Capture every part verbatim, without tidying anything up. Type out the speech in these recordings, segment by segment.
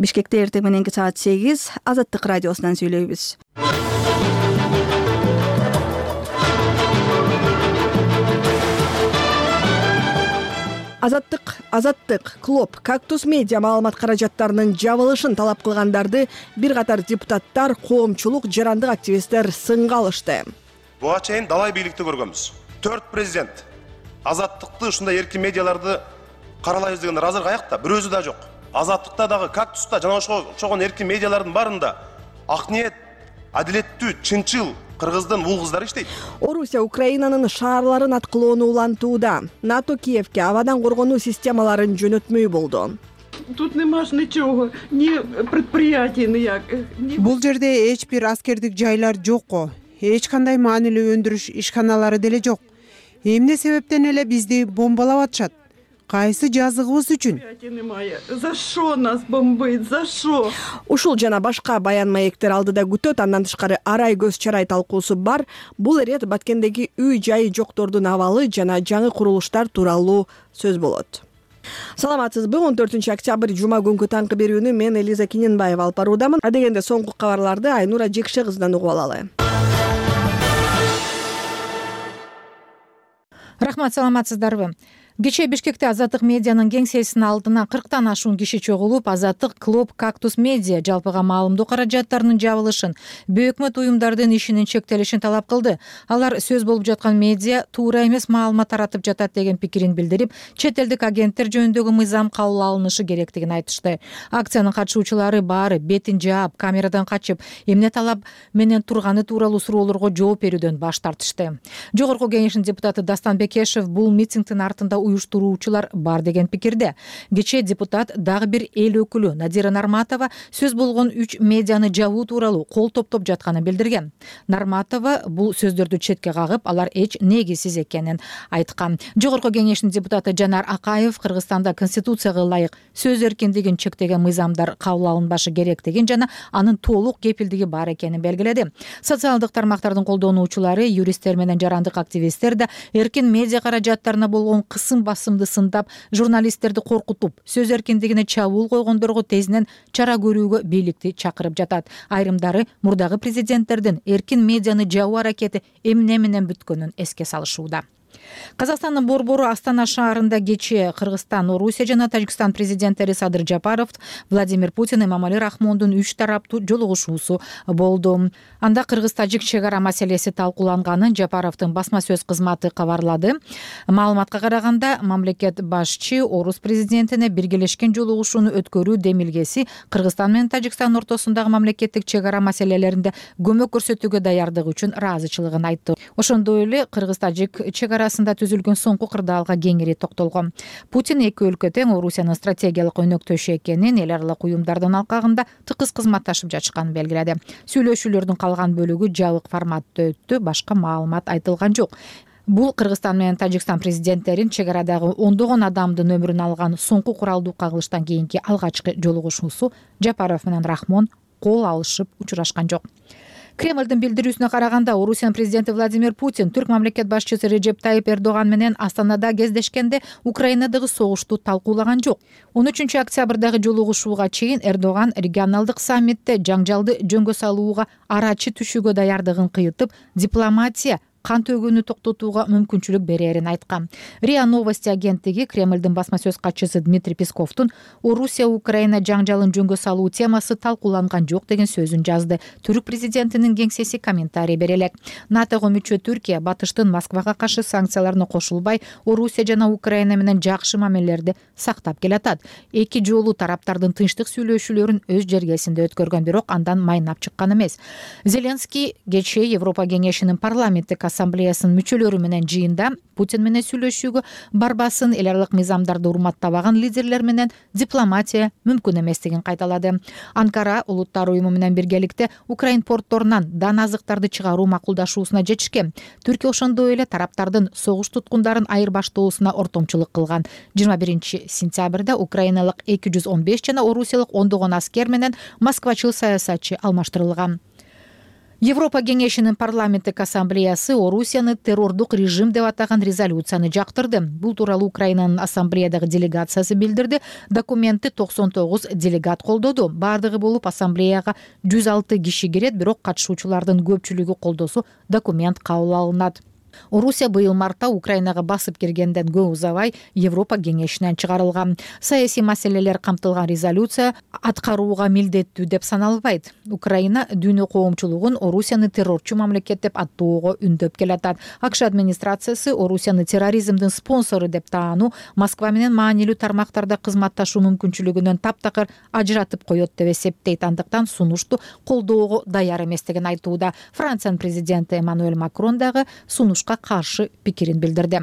Бишкекте эртең мененки саат сегиз Азаттык радиосунан сүйлөйбүз. Азаттык, Азаттык, Клоп, Кактус медиа маалымат каражаттарынын жабылышын талап кылгандарды бир катар депутаттар, коомчулук, жарандык активисттер сынга алышты. Буга чейин далай бийликти көргөнбүз. Төрт президент Азаттыкты ушундай эркин медиаларды каралайбыз дегендер азыр каякта? Бир өзү да жок. Азаттыкта дагы, Кактуста жана ошого окшогон эркин медиалардын баарында ак ниет, адилеттүү, чынчыл кыргыздын ул кыздары иштейт. Орусия Украинанын шаарларын аткылоону улантууда. НАТО Киевке абадан коргонуу системаларын жөнөтмөй болду. Тут нема ж ничего, ни предприятий ніяк. Бул жерде эч бир аскердик жайлар жок го. Эч кандай маанилүү өндүрүш ишканалары деле жок. Эмне себептен эле бизди бомбалап атышат? Кайсы жазыгыбыз үчүн? За шо нас бомбить? За шо? Ушул жана башка баян маектер алдыда күтөт. Андан тышкары арай көз чарай талкуусу бар. Бул ирет Баткендеги үй жайы жоктордун абалы жана жаңы курулуштар тууралуу сөз болот. Саламатсызбы? он төртүнчү октябрь жума күнкү таңкы берүүнү мен Элиза Киненбаева алып баруудамын. Адегенде соңку кабарларды Айнура Жекше кызынан угуп алалы. Рахмат, саламатсыздарбы? Кечээ Бишкекте Азаттык медианын кеңсесинин алдына кырктан ашуун киши чогулуп, Азаттык, Клоп, Кактус медиа жалпыга маалымдоо каражаттарынын жабылышын, бейөкмөт уюмдардын ишинин чектелишин талап кылды. Алар сөз болуп жаткан медиа туура эмес маалымат таратып жатат деген пикирин билдирип, чет элдик агенттер жөнүндөгү мыйзам кабыл алынышы керектигин айтышты. Акциянын катышуучулары баары бетин жаап, камерадан качып, эмне талап менен турганы тууралуу суроолорго жооп берүүдөн баш тартышты. Жогорку кеңештин депутаты Дастан Бекешев бул митингдин артында уюштуруучулар бар деген пикирде. Кечээ депутат дагы бир эл өкүлү Надира Нарматова сөз болгон үч медианы жабуу тууралуу кол топтоп жатканын билдирген. Нарматова бул сөздөрдү четке кагып, алар эч негизсиз экенин айткан. Жогорку кеңештин депутаты Жанар Акаев Кыргызстанда конституцияга ылайык сөз эркиндигин чектеген мыйзамдар кабыл алынбашы керектигин жана анын толук кепилдиги бар экенин белгиледи. Социалдык тармактардын колдонуучулары, юристтер менен жарандык активисттер да эркин медиа каражаттарына болгон кысым басымды сындап, журналисттерди коркутуп, сөз эркиндигине чабуул койгондорго тезинен чара көрүүгө бийликти чакырып жатат. Айрымдары мурдагы президенттердин эркин медианы жабуу аракети эмне менен бүткөнүн эске салышууда. Казакстандын борбору Астана шаарында кечээ Кыргызстан, Орусия жана Тажикстан президенттери Садыр Жапаров, Владимир Путин, Эмомали Рахмондун үч тараптуу жолугушуусу болду. Анда Кыргыз-Тажик чек ара маселеси талкууланганын Жапаровдун басма сөз кызматы кабарлады. Маалыматка караганда, мамлекет башчы орус президентине биргелешкен жолугушууну өткөрүү демилгеси Кыргызстан менен Тажикстан ортосундагы мамлекеттик чек ара маселелеринде көмөк көрсөтүүгө даярдыгы үчүн ыраазычылыгын айтты. Ошондой эле Кыргыз-Тажик чек арасында түзүлгөн соңку кырдаалга кеңири токтолгон. Путин эки өлкө тең Орусиянын стратегиялык өнөктөшү экенин, эл аралык уюмдардын алкагында тыкыз кызматташып жатышканын белгиледи. Сүйлөшүүлөрдүн калган бөлүгү жабык форматта өттү, башка маалымат айтылган жок. Бул Кыргызстан менен Тажикстан президенттерин чек арадагы ондогон адамдын өмүрүн алган соңку куралдуу кагылыштан кийинки алгачкы жолугушуусу. Жапаров менен Рахмон кол алышып учурашкан жок. Кремлдин билдирүүсүнө караганда, Орусиянын президенти Владимир Путин түрк мамлекет башчысы Реджеп Тайип Эрдоган менен Астанада кездешкенде Украинадагы согушту талкуулаган жок. он үчүнчү октябрдагы жолугушууга чейин Эрдоган регионалдык саммитте жаңжалды жөнгө салууга арачы түшүүгө даярдыгын кыйытып, дипломатия кан төгүүнү токтотууга мүмкүнчүлүк берерин айткан. РИА Новости агенттиги Кремлдин басма сөз катчысы Дмитрий Песковдун Орусия Украина жаңжалын жөнгө салуу темасы талкууланган жок деген сөзүн жазды. Түрк президентинин кеңсеси комментарий бере элек. НАТОго мүчө Түркия батыштын Москвага каршы санкцияларына кошулбай, Орусия жана Украина менен жакшы мамилелерди сактап келатат. Эки жолу тараптардын тынчтык сүйлөшүүлөрүн өз жергесинде өткөргөн, бирок андан майнап чыккан эмес. Зеленский кечээ Европа кеңешинин парламенттик ассамблеясынын мүчөлөрү менен жыйында Путин менен сүйлөшүүгө барбасын, эл аралык мыйзамдарды урматтабаган лидерлер менен дипломатия мүмкүн эместигин кайталады. Анкара Улуттар уюму менен биргеликте Украин портторунан дан азыктарды чыгаруу макулдашуусуна жетишкен. Түркия ошондой эле тараптардын согуш туткундарын айырбаштоосуна ортомчулук кылган. жыйырма биринчи сентябрда украиналык эки жүз он беш жана орусиялык ондогон аскер менен москвачыл саясатчы алмаштырылган. Европа кеңешинин парламенттик ассамблеясы Орусияны террордук режим деп атаган резолюцияны жактырды. Бул тууралуу Украинанын ассамблеядагы делегациясы билдирди. Документти токсон тогуз делегат колдоду. Бардыгы болуп ассамблеяга жүз алты киши кирет, бирок катышуучулардын көпчүлүгү колдосо документ кабыл алынат. Орусия быйыл мартта Украинага басып киргенден көп узабай Европа кеңешинен чыгарылган. Саясий маселелер камтылган резолюция аткарууга милдеттүү деп саналбайт. Украина дүйнө коомчулугун Орусияны террорчу мамлекет деп аттоого үндөп келатат. АКШ администрациясы Орусияны терроризмдин спонсору деп таануу, Москва менен маанилүү тармактарда кызматташуу мүмкүнчүлүгүнөн таптакыр ажыратып коет деп эсептейт. Андыктан сунушту колдоого даяр эместигин айтууда. Франциянын президенти Эммануэль Макрон дагы сунуш каршы пикирин билдирди.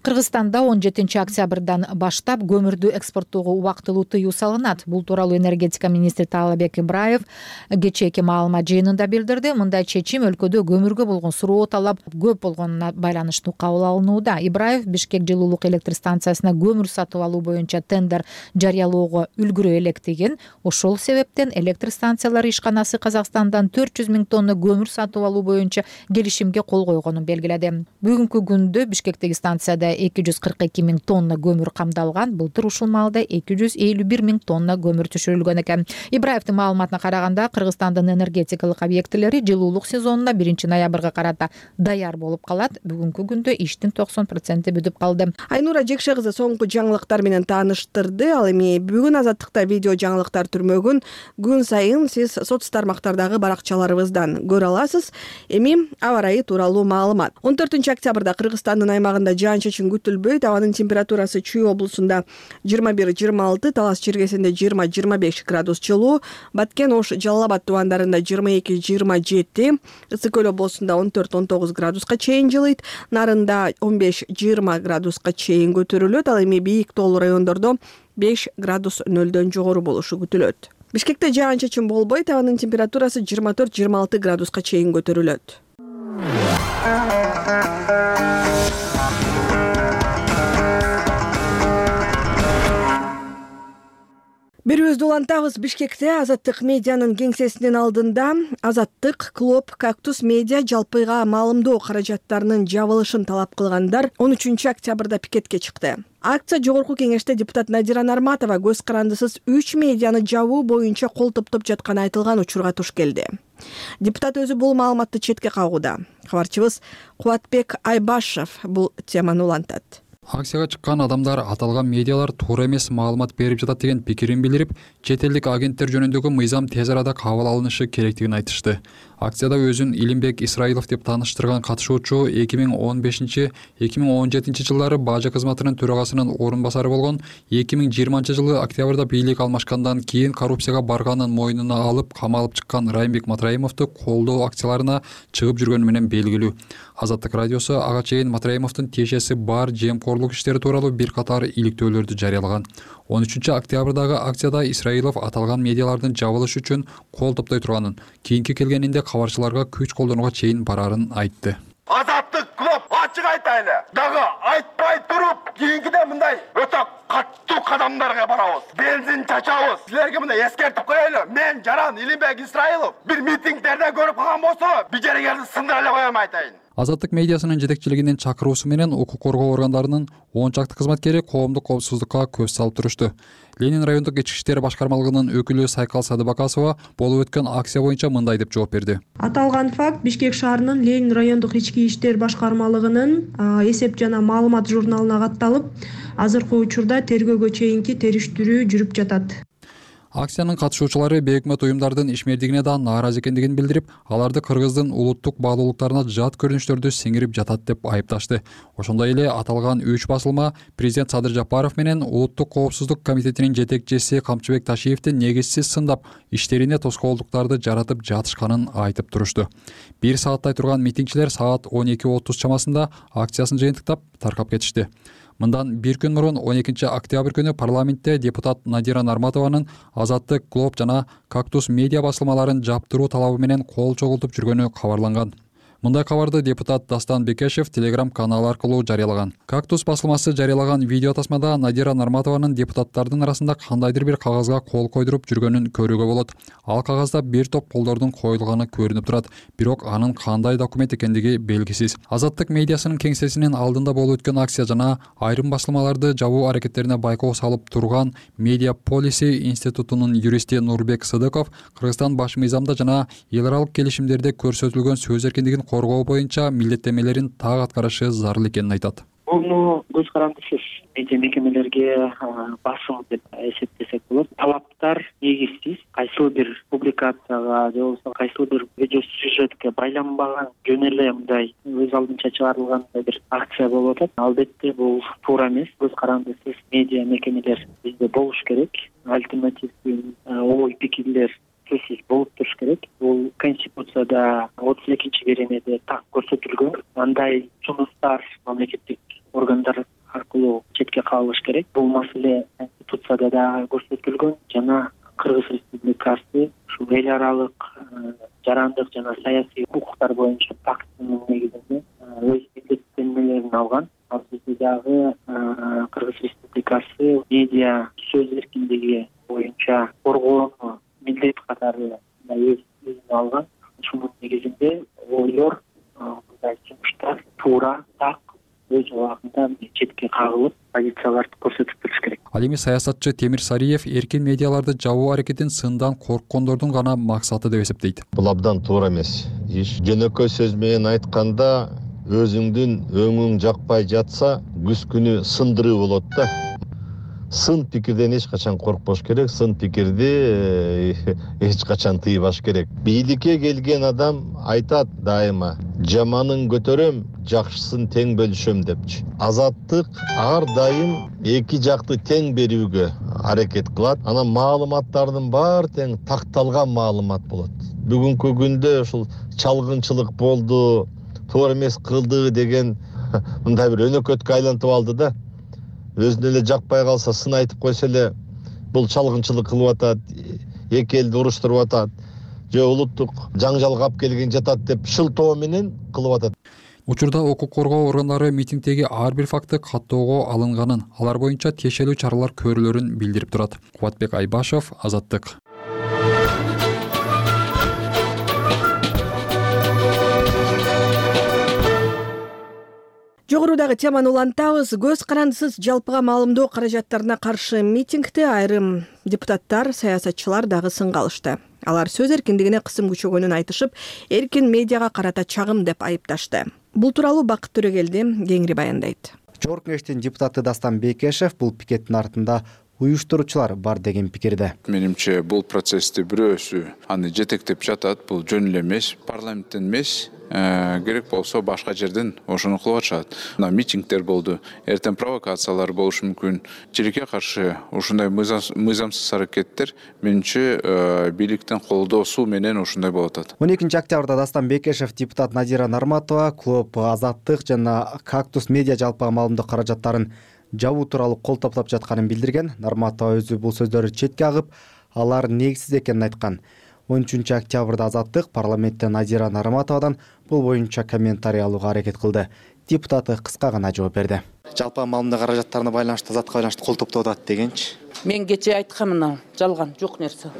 Кыргызстанда он жетинчи октябрдан баштап көмүрдү экспорттоого убактылуу тыюу салынат. Бул тууралуу энергетика министри Таалабек Ибраев кечээки маалымат жыйынында билдирди. Мындай чечим өлкөдө көмүргө болгон суроо талап көп болгонуна байланыштуу кабыл алынууда. Ибраев Бишкек жылуулук электр станциясына көмүр сатып алуу боюнча тендер жарыялоого үлгүрө электигин, ошол себептен электр станциялары ишканасы Казакстандан төрт жүз миң тонна көмүр сатып алуу боюнча келишимге кол койгонун белгиледи. Бүгүнкү күндө Бишкектеги станцияда эки жүз кырк эки миң тонна көмүр камдалган. Былтыр ушул маалда эки жүз элүү бир миң тонна көмүр түшүрүлгөн экен. Ибраевдин маалыматына караганда, Кыргызстандын энергетикалык объектилери жылуулук сезонуна биринчи ноябрга карата даяр болуп калат. Бүгүнкү күндө иштин токсон проценти бүтүп калды. Айнура Жекше кызы соңку жаңылыктар менен тааныштырды. Ал эми бүгүн Азаттыкта видео жаңылыктар түрмөгүн күн сайын сиз соц тармактардагы баракчаларыбыздан көрө аласыз. Эми аба ырайы тууралуу маалымат. он төртүнчү октябрда Кыргызстандын аймагында жаан-чачын күтүлбөйт. Абанын температурасы Чүй облусунда жыйырма бир жыйырма алты, Талас чиркесинде жыйырма жыйырма беш градус жылуу, Баткен, Ош, Жалал Абад тубандарында жыйырма эки жыйырма жети, Ысык Көл облусунда он төрт он тогуз градуска чейин жылыйт, Нарында он беш жыйырма градуска чейин көтөрүлөт. Ал эми бийик тоолуу райондордо беш градус нөлдөн жогору болушу күтүлөт. Бишкекте жаан-чачын болбойт. Абанын температурасы жыйырма төрт жыйырма алты градуска чейин көтөрүлөт. Бирөөбүздү улантабыз. Бишкекте Азаттык медианын кеңсесинин алдында Азаттык, Клоп, Кактус медиа жалпыга маалымдоо каражаттарынын жабылышын талап кылгандар он үчүнчү октябрда пикетке чыкты. Акция жогорку кеңеште депутат Надира Нарматова көз карандысыз үч медианы жабуу боюнча кол топтоп жатканы айтылган учурга туш келди. Депутат өзү бул маалыматты четке кагууда. Кабарчыбыз Кубатбек Айбашев бул теманы улантат. Акцияга чыккан адамдар аталган медиалар туура эмес маалымат берип жатат деген пикирин билдирип, чет элдик агенттер жөнүндөгү мыйзам тез арада кабыл алынышы керектигин айтышты. Акцияда өзүн Илимбек Исраилов деп тааныштырган катышуучу эки миң он бешинчи — эки миң он жетинчи жылдары бажы кызматынын төрагасынын орун басары болгон, эки миң жыйырманчы жылы октябрда бийлик алмашкандан кийин коррупцияга барганын мойнуна алып камалып чыккан Райымбек Матраимовду колдоо акцияларына чыгып жүргөнү менен белгилүү. Азаттык радиосу ага чейин Матраимовдун тиешеси бар жемкорлук иштери тууралуу бир катар иликтөөлөрдү жарыялаган. он үчүнчү октябрдагы акцияда Исраилов аталган медиалардын жабылышы үчүн кол топтой турганын, кийинки келгенинде кабарчыларга күч колдонууга чейин барарын айтты. Азаттык Клоп ачык айтайлы. Дагы айтпай туруп, кийинкиде мындай өтө каттуу кадамдарга барабыз. Бензин чачабыз. Силерге мындай эскертип коелу. Мен жаран Илимбек Исраилов бир митингдерде көрүп калган болсо, бижерегерди сындыра эле коем айтайын. Азаттык медиасынын жетекчилигинин чакыруусу менен укук коргоо органдарынын он чакты кызматкери коомдук коопсуздукка көз салып турушту. Ленин райондук ички иштер башкармалыгынын өкүлү Сайкал Садыбакасова болуп өткөн акция боюнча мындай деп жооп берди. Аталган факт Бишкек шаарынын Ленин райондук ички иштер башкармалыгынын эсеп жана маалымат журналына катталып, азыркы учурда тергөөгө чейинки териштирүү жүрүп жатат. Акциянын катышуучулары бейөкмөт уюмдардын ишмердигине да нааразы экендигин билдирип, аларды Кыргыздын улуттук баалуулуктарына жат көрүнүштөрдү сиңирип жатат деп айыпташты. Ошондой эле аталган үч басылма президент Садыр Жапаров менен Улуттук коопсуздук комитетинин жетекчиси Камчыбек Ташиевди негизсиз сындап, иштерине тоскоолдуктарды жаратып жатышканын айтып турушту. Бир сааттай турган митингчилер саат он эки отуз чамасында акциясын жыйынтыктап таркап кетишти. Мындан бир күн мурун он экинчи октябрь күнү парламентте депутат Надира Нарматованын Азаттык, Клоп жана Кактус медиа басылмаларын жаптыруу талабы менен кол чогултуп жүргөнү кабарланган. Мындай кабарды депутат Дастан Бекешев Telegram каналы аркылуу жарыялаган. Кактус басылмасы жарыялаган видео тасмада Надира Нарматованын депутаттардын арасында кандайдыр бир кагазга кол койдуруп жүргөнүн көрүүгө болот. Ал кагазда бир топ колдордун коюлганы көрүнүп турат, бирок анын кандай документ экендиги белгисиз. Азаттык медиасынын кеңсесинин алдында болуп өткөн акция жана айрым басылмаларды жабуу аракеттерине байкоо салып турган Media Policy институтунун юристи Нурбек Сыдыков Кыргызстан баш мыйзамда жана эл аралык келишимдерде көрсөтүлгөн сөз эркиндигин коргоо боюнча милдеттенмелерин так аткарышы зарыл экенин айтат. Муну көз карандысыз медиа мекемелерге басым деп эсептесек болот. Талаптар негизсиз. Кайсыл бир публикацияга же болбосо кайсыл бир видео сюжетке байланбаган жөн эле мындай өз алдынча чыгарылган бир акция болуп атат. Албетте бул туура эмес. Көз карандысыз медиа мекемелер бизде болуш керек. Альтернативдүү ой пикирлер сөзсүз болуп туруш керек. Бул Конституцияда отуз экинчи беренеде так көрсөтүлгөн. Андай жумуштар мамлекеттик органдар аркылуу четке калыш керек. Бул маселе Конституцияда да көрсөтүлгөн жана Кыргыз Республикасы ушу эл аралык жарандык жана саясий укуктар боюнча пакттын негизинде өз милдеттенмелерин алган. Ал жерде дагы Кыргыз Республикасы медиа сөз эркиндиги боюнча коргоону милдет катары өз өзүнө алган. Ушунун негизинде ойлор мындай жумуштар туура так өз убагында четке кагылып позицияларды көрсөтүп туруш керек. Ал эми саясатчы Темир Сариев эркин медиаларды жабуу аракетин сындан корккондордун гана максаты деп эсептейт. Бул абдан туура эмес иш. Жөнөкөй сөз менен айтканда өзүңдүн өңүң жакпай жатса күз күнү сындыруу болот да. Сын пикирден эч качан коркпош керек, сын пикирди эч качан тыйбаш керек. Бийликке келген адам айтат дайыма: жаманын көтөрөм, жакшысын тең бөлүшөм депчи. Азаттык ар дайым эки жакты тең берүүгө аракет кылат. Анан маалыматтардын баары тең такталган маалымат болот. Бүгүнкү күндө ушул чалгынчылык болду, туура эмес кылды деген мындай бир өнөкөткө айлантып алды да. Өзүнө эле жакпай калса сын айтып койсо эле бул чалгынчылык кылып атат, эки элди уруштуруп атат, же улуттук жаңжалга алып келген жатат деп шылтоо менен кылып атат. Учурда укук коргоо органдары митингдеги ар бир факты каттоого алынганын, алар боюнча тиешелүү чаралар көрүлөрүн билдирип турат. Кубатбек Айбашев, Азаттык. Жогорудагы теманы улантабыз. Көз карандысыз жалпыга маалымдоо каражаттарына каршы митингде айрым депутаттар, саясатчылар дагы сынга алышты. Алар сөз эркиндигине кысым күчөгөнүн айтышып, эркин медиага карата чагым деп айыпташты. Бул тууралуу Бакыт Төрөгелди кеңири баяндайт. Жогорку Кеңештин депутаты Дастан Бекешев бул пикеттин артында уюштуруучулар бар деген пикирде. Менимче бул процессти бирөөсү аны жетектеп жатат. Бул жөн эле эмес, парламенттен эмес, керек болсо башка жерден ошону кылып атышат. Мына митингдер болду, эртең провокациялар болушу мүмкүн. Тилекке каршы ушундай мыйзамсыз аракеттер менимче бийликтин колдоосу менен ушундай болуп атат. он экинчи октябрда Дастан Бекешев депутат Надира Нарматова клуб Азаттык жана Кактус медиа жалпыга маалымдоо каражаттарын жабуу тууралуу кол топтоп жатканын билдирген. Нарматова өзү бул сөздөрдү четке агып, алар негизсиз экенин айткан. он үчүнчү октябрда Азаттык парламентте Надира Нарматовадан бул боюнча комментарий алууга аракет кылды. Депутаты кыска гана жооп берди. Жалпыга маалымдоо каражаттарына байланыштуу, Азаттыкка байланыштуу кол топтоп атат дегенчи. Мен кечээ айткам, мына жалган, жок нерсе.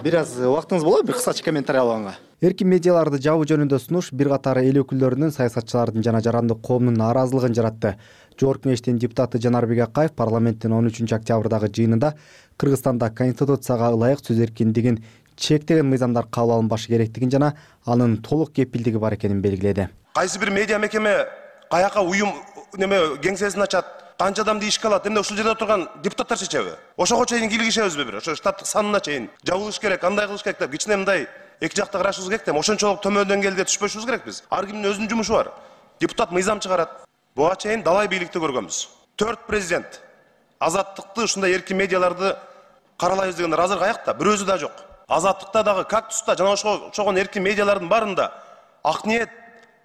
Бир аз убактыңыз болобу бир кыскача комментарий алганга? Эркин медиаларды жабуу жөнүндө сунуш бир катар эл өкүлдөрүнүн, саясатчылардын жана жарандык коомдун нааразылыгын жаратты. Жогорку Кеңештин депутаты Жанарбек Акаев парламенттин он үчүнчү октябрдагы жыйынында Кыргызстанда Конституцияга ылайык сөз эркиндигин чектеген мыйзамдар кабыл алынбашы керектигин жана анын толук кепилдиги бар экенин белгиледи. Кайсы бир медиа мекеме каяка уюм неме кеңсесин ачат, канча адамды ишке алат, эмне ушул жерде отурган депутаттар чечеби? Ошого чейин кийлигишебизби бир? Ошо штаттык санына чейин жабылыш керек, кандай кылыш керек деп кичине мындай эки жакта карашыбыз керек деп, ошончолук төмөндөн келди түшпөшүбүз керек биз. Ар кимдин өзүнүн жумушу бар. Депутат мыйзам чыгарат. Буга чейин далай бийликти көргөнбүз. Төрт президент азаттыкты, ушундай эркин медиаларды каралайбыз дегендер азыр каякта? Бир өзү да жок. Азаттыкта дагы, Кактуста жана ошого окшогон эркин медиалардын баарында ак ниет,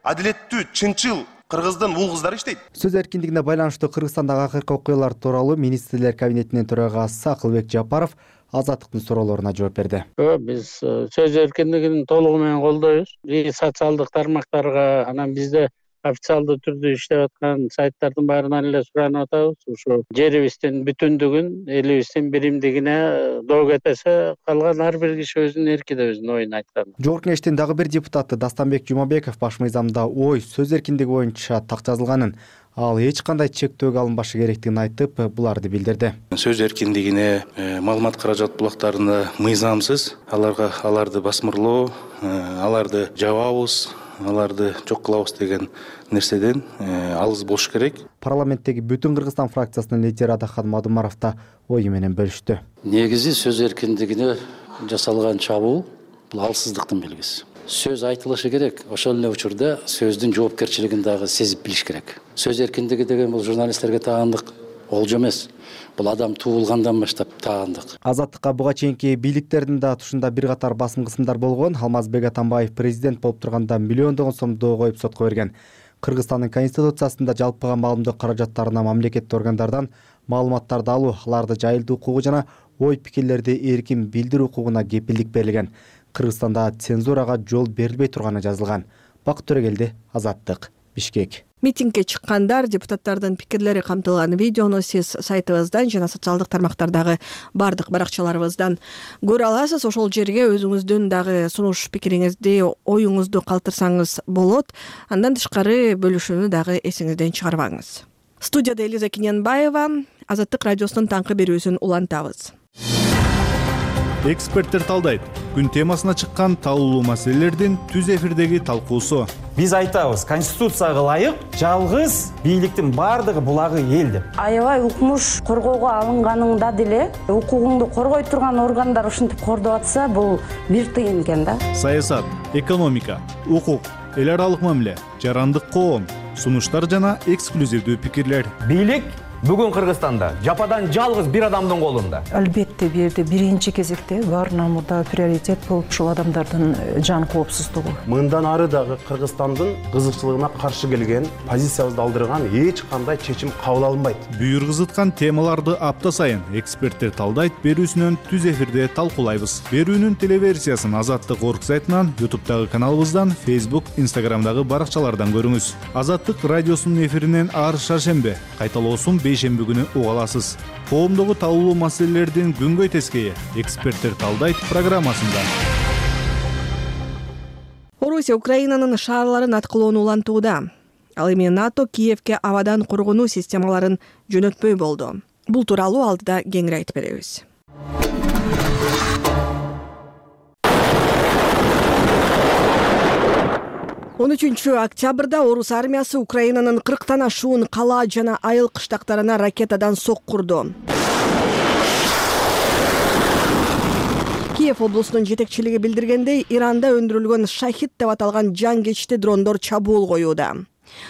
адилеттүү, чынчыл кыргыздын ул кыздары иштейт. Сөз эркиндигине байланыштуу Кыргызстандагы акыркы окуялар тууралуу министрлер кабинетинин төрагасы Акылбек Жапаров Азаттыктын суроолоруна жооп берди. Биз сөз эркиндигин толугу менен колдойбуз. Социалдык тармактарга анан бизде официалдуу түрдө иштеп аткан сайттардын баарынан эле суранып атабыз. Ушу жерибиздин бүтүндүгүн, элибиздин биримдигине доо кетесе, калган ар бир киши өзүнүн эркиде өзүнүн оюн айткан. Жогорку кеңештин дагы бир депутаты Дастанбек Жумабеков баш мыйзамда ой, сөз эркиндиги боюнча так жазылганын, ал эч кандай чектөөгө алынбашы керектигин айтып, буларды билдирди. Сөз эркиндигине, маалымат каражат булактарына мыйзамсыз аларга аларды басмырлоо, аларды жабабыз, аларды жок кылабыз деген нерседен алыс болуш керек. Парламенттеги Бүтүн Кыргызстан фракциясынын лидери Адахан Мадумаров да ою менен бөлүштү. Негизи сөз эркиндигине жасалган чабуул бул алсыздыктын белгиси. Сөз айтылышы керек, ошол эле учурда сөздүн жоопкерчилигин дагы сезип билиш керек. Сөз эркиндиги деген бул журналисттерге таандык олжо эмес. Бул адам туулгандан баштап таандык. Азаттыкка буга чейинки бийликтердин да тушунда бир катар басым кысымдар болгон. Алмазбек Атамбаев президент болуп турганда миллиондогон сом доо коюп сотко берген. Кыргызстандын конституциясында жалпыга маалымдоо каражаттарына мамлекеттик органдардан маалыматтарды алуу, аларды жайылтуу укугу жана ой пикирлерди эркин билдирүү укугуна кепилдик берилген. Кыргызстанда цензурага жол берилбей турганы жазылган. Бакыт Төрөгелди, Азаттык, Бишкек. Митингге чыккандар, депутаттардын пикирлери камтылган видеону сиз сайтыбыздан жана социалдык тармактардагы бардык баракчаларыбыздан көрө аласыз. Ошол жерге өзүңүздүн дагы сунуш пикириңизди, оюңузду калтырсаңыз болот. Андан тышкары бөлүшүүнү дагы эсиңизден чыгарбаңыз. Студияда Элиза Киненбаева, Азаттык радиосунун таңкы берүүсүн улантабыз. Эксперттер талдайт. Күн темасына чыккан талуулуу маселелердин түз эфирдеги талкуусу. Биз айтабыз, конституцияга ылайык жалгыз бийликтин бардыгы булагы эл деп. Аябай укмуш коргоого алынганыңда деле укугуңду коргой турган органдар ушинтип кордоп атса, бул бир тыйын экен да. Саясат, экономика, укук, эл аралык мамиле, жарандык коом, сунуштар жана эксклюзивдүү пикирлер. Бийлик бүгүн Кыргызстанда жападан жалгыз бир адамдын колунда. Албетте бир жерде биринчи кезекте баарынан мурда приоритет болуп ушул адамдардын жан коопсуздугу. Мындан ары дагы Кыргызстандын кызыкчылыгына каршы келген, позициябызды алдырган эч кандай чечим кабыл алынбайт. Бүйүр кызыткан темаларды апта сайын эксперттер талдайт берүүсүнөн түз эфирде талкуулайбыз. Берүүнүн телеверсиясын Азаттык орг сайтынан, ютубтагы каналыбыздан, Facebook, Instagramдагы баракчалардан көрүңүз. Азаттык радиосунун эфиринен ар шаршембе, кайталоосун бейшемби күнү уга аласыз. Коомдогу талуулуу маселелердин күнгөй тескейи эксперттер талдайт программасында. Орусия Украинанын шаарларын аткылоону улантууда. Ал эми НАТО Киевке абадан коргонуу системаларын жөнөтпөй болду. Бул тууралуу алдыда кеңири айтып беребиз. он үчүнчү октябрда орус армиясы Украинанын кырктан ашуун кала жана айыл кыштактарына ракетадан соккурду. Киев облусунун жетекчилиги билдиргендей, Иранда өндүрүлгөн Шахид деп аталган жангечти дрондор чабуул коюуда.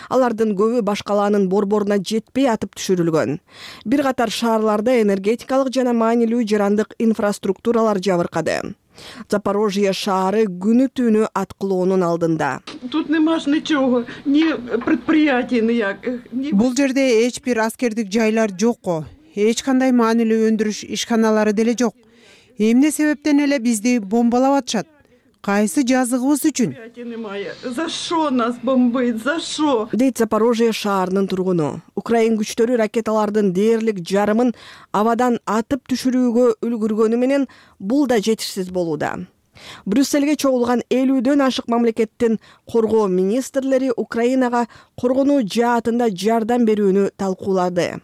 Алардын көбү баш калаанын борборуна жетпей атып түшүрүлгөн. Бир катар шаарларда энергетикалык жана маанилүү жарандык инфраструктуралар жабыркады. Запорожье шаары күнү түнү аткылоонун алдында. Тут немаш ничего, ни предприятий нияких. Бул жерде эч бир аскердик жайлар жок го. Эч кандай маанилүү өндүрүш ишканалары деле жок. Эмне себептен эле бизди бомбалап атышат? Кайсы жазыгыбыз үчүн? За шо нас бомбит, за шо? Дейт Запорожье шаарынын тургуну. Украин күчтөрү ракеталардын дээрлик жарымын абадан атып түшүрүүгө үлгүргөнү менен бул да жетишсиз болууда. Брюссельге чогулган элүүдөн ашык мамлекеттин коргоо министрлери Украинага коргонуу жаатында жардам берүүнү талкуулады.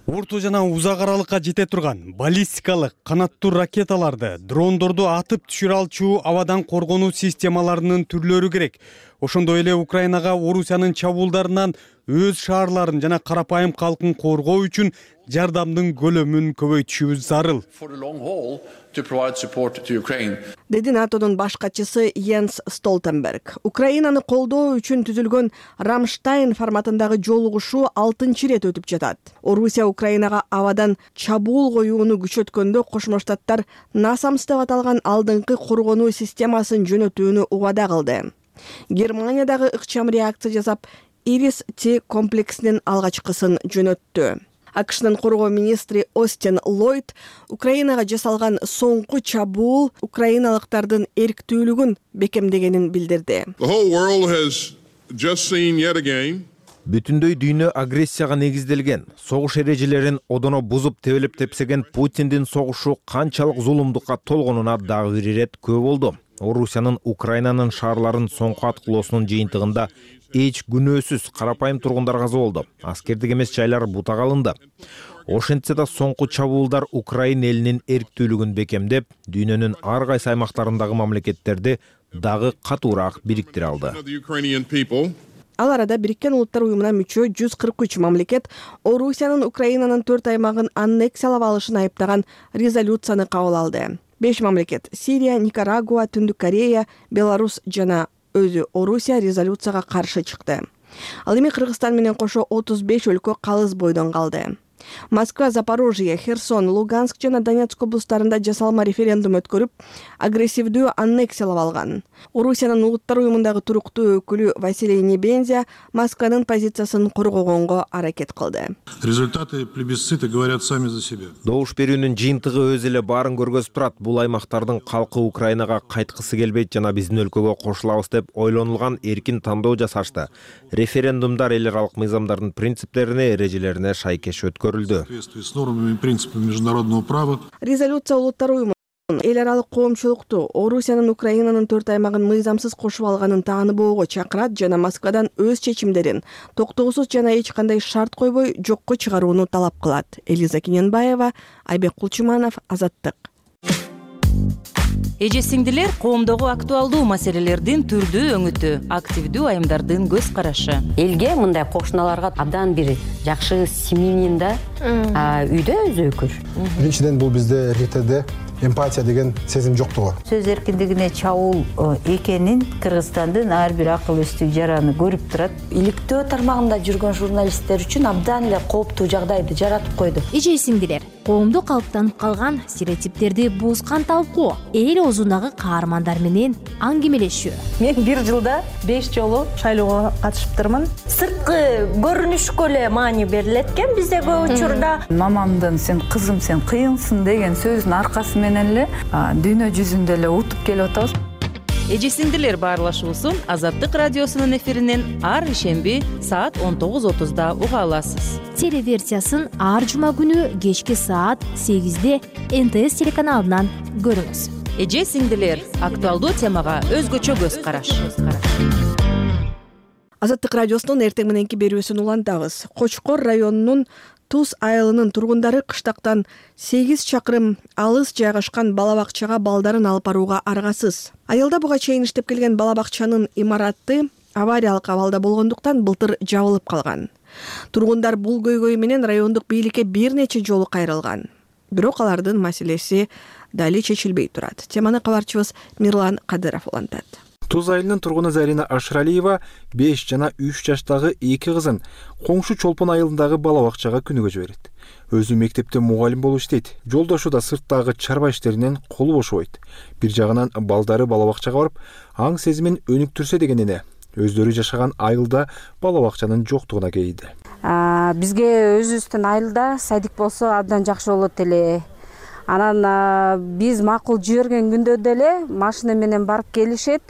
Орто жана узак аралыкка жете турган баллистикалык канаттуу ракеталарды, дрондорду атып түшүрө алчу абадан коргонуу системаларынын түрлөрү керек. Ошондой эле Украинага Орусиянын чабуулдарынан өз шаарларын жана карапайым калкын коргоо үчүн жардамдын көлөмүн көбөйтүшүбүз зарыл. Деди НАТОдун баш катчысы Йенс Столтенберг. Украинаны колдоо үчүн түзүлгөн Рамштайн форматындагы жолугушуу алтынчы ирет өтүп жатат. Орусия Украинага абадан чабуул коюуну күчөткөндө Кошмо Штаттар насамс деп аталган алдыңкы коргонуу системасын жөнөтүүнү убада кылды. Германия дагы ыкчам реакция жасап, Ирис Т комплексинин алгачкысын жөнөттү. АКШнын коргоо министри Остин Ллойд Украинага жасалган соңку чабуул украиналыктардын эрктүүлүгүн бекемдегенин билдирди. Бүтүндөй дүйнө агрессияга негизделген, согуш эрежелерин одоно бузуп тебелеп тепсеген Путиндин согушу канчалык зулумдукка толгонуна дагы бир ирет күбө болду. Орусиянын Украинанын шаарларын соңку аткылоосунун жыйынтыгында эч күнөөсүз карапайым тургундар каза болду. Аскердик эмес жайлар бутак алынды. Ошентсе да соңку чабуулдар Украин элинин эрктүүлүгүн бекемдеп, дүйнөнүн ар кайсы аймактарындагы мамлекеттерди дагы катуураак бириктире алды. Ал арада Бириккен Улуттар уюмуна мүчө жүз кырк үч мамлекет Орусиянын Украинанын төрт аймагын аннексиялап алышын айыптаган резолюцияны кабыл алды. Беш мамлекет — Сирия, Никарагуа, Түндүк Корея, Беларусь жана өзү Орусия резолюцияга каршы чыкты. Ал эми Кыргызстан менен кошо отуз беш өлкө калыс бойдон калды. Москва, Запорожье, Херсон, Луганск жана Донецк облустарында жасалма референдум өткөрүп, агрессивдүү аннексиялап алган. Орусиянын Улуттар уюмундагы туруктуу өкүлү Василий Небензя Москванын позициясын коргогонго аракет кылды. Результаты плебисцита говорят сами за себя. Добуш берүүнүн жыйынтыгы өз эле баарын көргөзүп турат. Бул аймактардын калкы Украинага кайткысы келбейт жана биздин өлкөгө кошулабыз деп ойлонулган эркин тандоо жасашты. Референдумдар эл аралык мыйзамдардын принциптерине, эрежелерине шайкеш өткөрүлдү. С нормами и принципами международного права. Резолюция Улуттар уюму эл аралык коомчулукту Орусиянын Украинанын төрт аймагын мыйзамсыз кошуп алганын тааныбоого чакырат жана Москвадан өз чечимдерин токтоосуз жана эч кандай шарт койбой жокко чыгарууну талап кылат. Элиза Кененбаева, Айбек Кулчуманов, Азаттык. Эже сиңдилер, коомдогу актуалдуу маселелердин түрдүү өңүтү, активдүү айымдардын көз карашы. Элге мындай кошуналарга абдан бир жакшы семьянин да үйдө өзөкүр. Биринчиден бул бизде РТде эмпатия деген сезим жоктугу. Сөз эркиндигине чабуул экенин Кыргызстандын ар бир акыл-эстүү жараны көрүп турат. Иликтөө тармагында жүргөн журналисттер үчүн абдан эле кооптуу жагдайды жаратып койду. Эже сиңдилер, коомдо калыптанып калган стереотиптерди бузган талкуу, эл оозундагы каармандар менен аңгемелешүү. Мен бир жылда беш жолу шайлоого катышыптырмын. Сырткы көрүнүшкө эле маани берилет экен бизде көп учурда. Мамамдын "сен кызым, сен кыйынсың" деген сөзүнүн аркасы менен эле дүйнө жүзүндө эле утуп келип атабыз. Эже сиңдилер баарлашуусун Азаттык радиосунун эфиринен ар ишемби саат он тогуз отузда уга аласыз. Телеверсиясын ар жума күнү кечки саат сегизде эн тэ эс телеканалынан көрүңүз. Эже сиңдилер, актуалдуу темага өзгөчө көз караш. Азаттык радиосунун эртең мененки берүүсүн улантабыз. Кочкор районунун Туз айылынын тургундары кыштактан сегиз чакырым алыс жайгашкан бала бакчага балдарын алып барууга аргасыз. Айылда буга чейин иштеп келген бала бакчанын имараты авариялык абалда болгондуктан былтыр жабылып калган. Тургундар бул көйгөй менен райондук бийликке бир нече жолу кайрылган. Бирок алардын маселеси дали чечилбей турат. Теманы кабарчыбыз Мирлан Кадыров улантат. Туз айылынын тургуну Зарина Ашралиева беш жана үч жаштагы эки кызын коңшу Чолпон айылындагы бала бакчага күнүгө жиберет. Өзү мектепте мугалим болуп иштейт. Жолдошу да сырттагы чарба иштеринен колу бошобойт. Бир жагынан балдары бала бакчага барып, аң сезимин өнүктүрсө дегенине өздөрү жашаган айылда бала бакчанын жоктугуна кейди. Бизге өзүбүздүн айылда садик болсо абдан жакшы болот эле. Анан биз макул жиберген күндө деле машина менен барып келишет.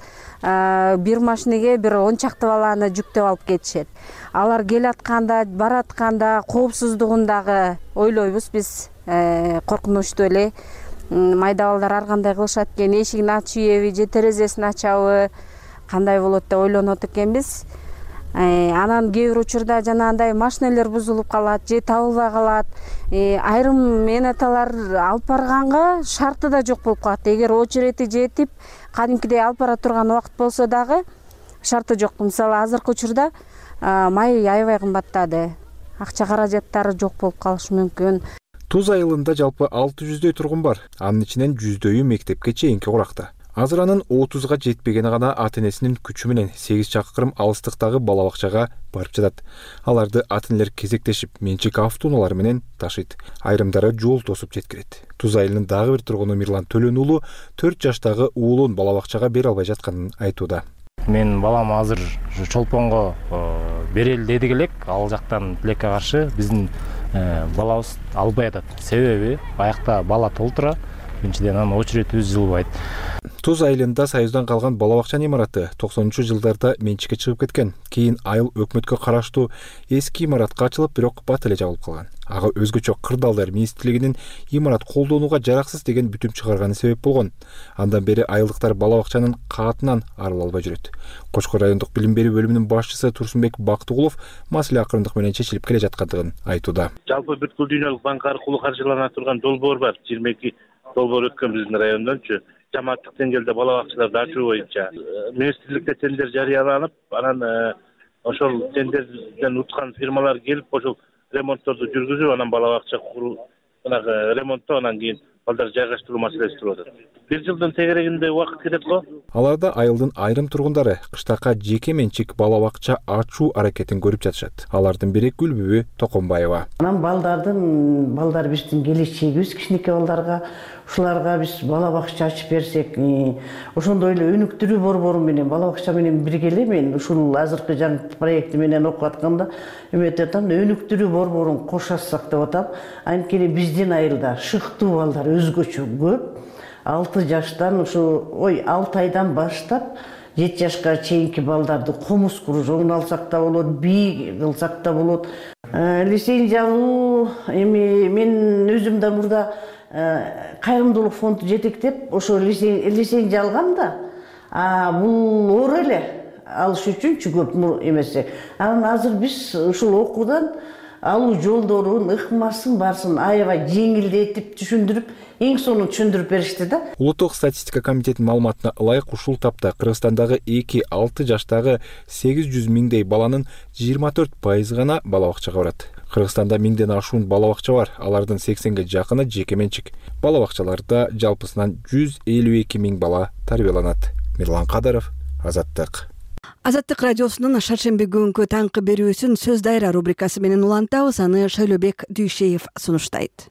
Бир машинеге бир он чакты баланы жүктөп алып кетишет. Алар келатканда, баратканда коопсуздугундагы ойлойбуз биз, коркунучтуу эле. Майда балдар ар кандай кылышат экен, эшигин ачыйбы же терезесин ачабы, кандай болот деп ойлонот экенбиз. Анан кээ бир учурда жанагындай машинелер бузулуп калат же табылбай калат. Айрым менаталар алып барганга шарты да жок болуп калат. Эгер очерети жетип, кадимкидей алып бара турган убакыт болсо дагы шарты жок. Мисалы азыркы учурда май аябай кымбаттады. Акча каражаттары жок болуп калышы мүмкүн. Туз айылында жалпы алты жүздөй тургун бар. Анын ичинен жүздөйү мектепке чейинки куракта. Азыр анын отузга жетпегени гана ата-энесинин күчү менен сегиз чакырым алыстыктагы бала бакчага барып жатат. Аларды ата-энелер кезектешип менчик автоунаалары менен ташыйт. Айрымдары жол тосуп жеткирет. Туз айылынын дагы бир тургуну Мирлан Төлөн уулу төрт жаштагы уулун бала бакчага бере албай жатканын айтууда. Мен балам азыр Чолпонго берели дедик элек, ал жактан тилекке каршы биздин балабыз албай атат. Себеби аякта бала толтура, биринчиден анын очередибиз жылбайт. Туз айылында Союздан калган бала бакчанын имараты токсонунчу жылдарда менчикке чыгып кеткен. Кийин айыл өкмөткө караштуу эски имаратка ачылып, бирок бат эле жабылып калган. Ага өзгөчө кырдаалдар министрлигинин имарат колдонууга жараксыз деген бүтүм чыгарганы себеп болгон. Андан бери айылдыктар бала бакчанын каатынан арыла албай жүрөт. Кочкор райондук билим берүү бөлүмүнүн башчысы Турсунбек Бактыгулов маселе акырындык менен чечилип келе жаткандыгын айтууда. Жалпы бүткүл дүйнөлүк банк аркылуу каржылана турган долбоор бар. жыйырма эки долбоор өткөн биздин райондончу. Жамааттык деңгээлде бала бакчаларды ачуу боюнча министрликте тендер жарыяланып, анан ошол тендерден уткан фирмалар келип, ошол ремонтторду жүргүзүп, анан бала бакча куруу, анан ремонттоо, анан кийин балдар жайгаштыруу маселеси туруп атат. Бир жылдын тегерегинде убакыт кетет го. Аларда айылдын айрым тургундары кыштакка жеке менчик бала бакча ачуу аракетин көрүп жатышат. Алардын бири Гүлбүбү Токонбаева. Анан балдардын балдар биздин келечегибиз, кичинекей балдарга ушуларга биз бала бакча ачып берсек, ошондой эле өнүктүрүү борбору менен бала бакча менен биргеле мен ушул азыркы жаңы проекти менен окуп атканда эметип атам, өнүктүрүү борборун кошасак деп атам. Анткени биздин айылда шыктуу балдар өзгөчө көп. алты жаштан ушу ой алты айдан баштап жети жашка чейинки балдарды комуз кружогун алсак да болот, бий кылсак да болот. Лицензия жабуу эми мен өзүм да мурда кайрымдуулук фонду жетектеп ошо лицензия алгам да. А бул оор эле алыш үчүнчү көп эмесе. Анан азыр биз ушул окуудан алуу жолдорун, ыкмасын барсын аябай жеңилдетип түшүндүрүп, эң сонун түшүндүрүп беришти да. Улуттук статистика комитетинин маалыматына ылайык ушул тапта Кыргызстандагы эки алты жаштагы сегиз жүз миңдей баланын жыйырма төрт пайызы гана бала бакчага барат. Кыргызстанда миңден ашуун бала бакча бар, алардын сексенге жакыны жеке менчик. Бала бакчаларда жалпысынан жүз элүү эки миң бала тарбияланат. Мирлан Кадыров, Азаттык. Азаттык радиосунун шаршемби күнгү таңкы берүүсүн сөз дайра рубрикасы менен улантабыз. Аны Шайлообек Дүйшеев сунуштайт.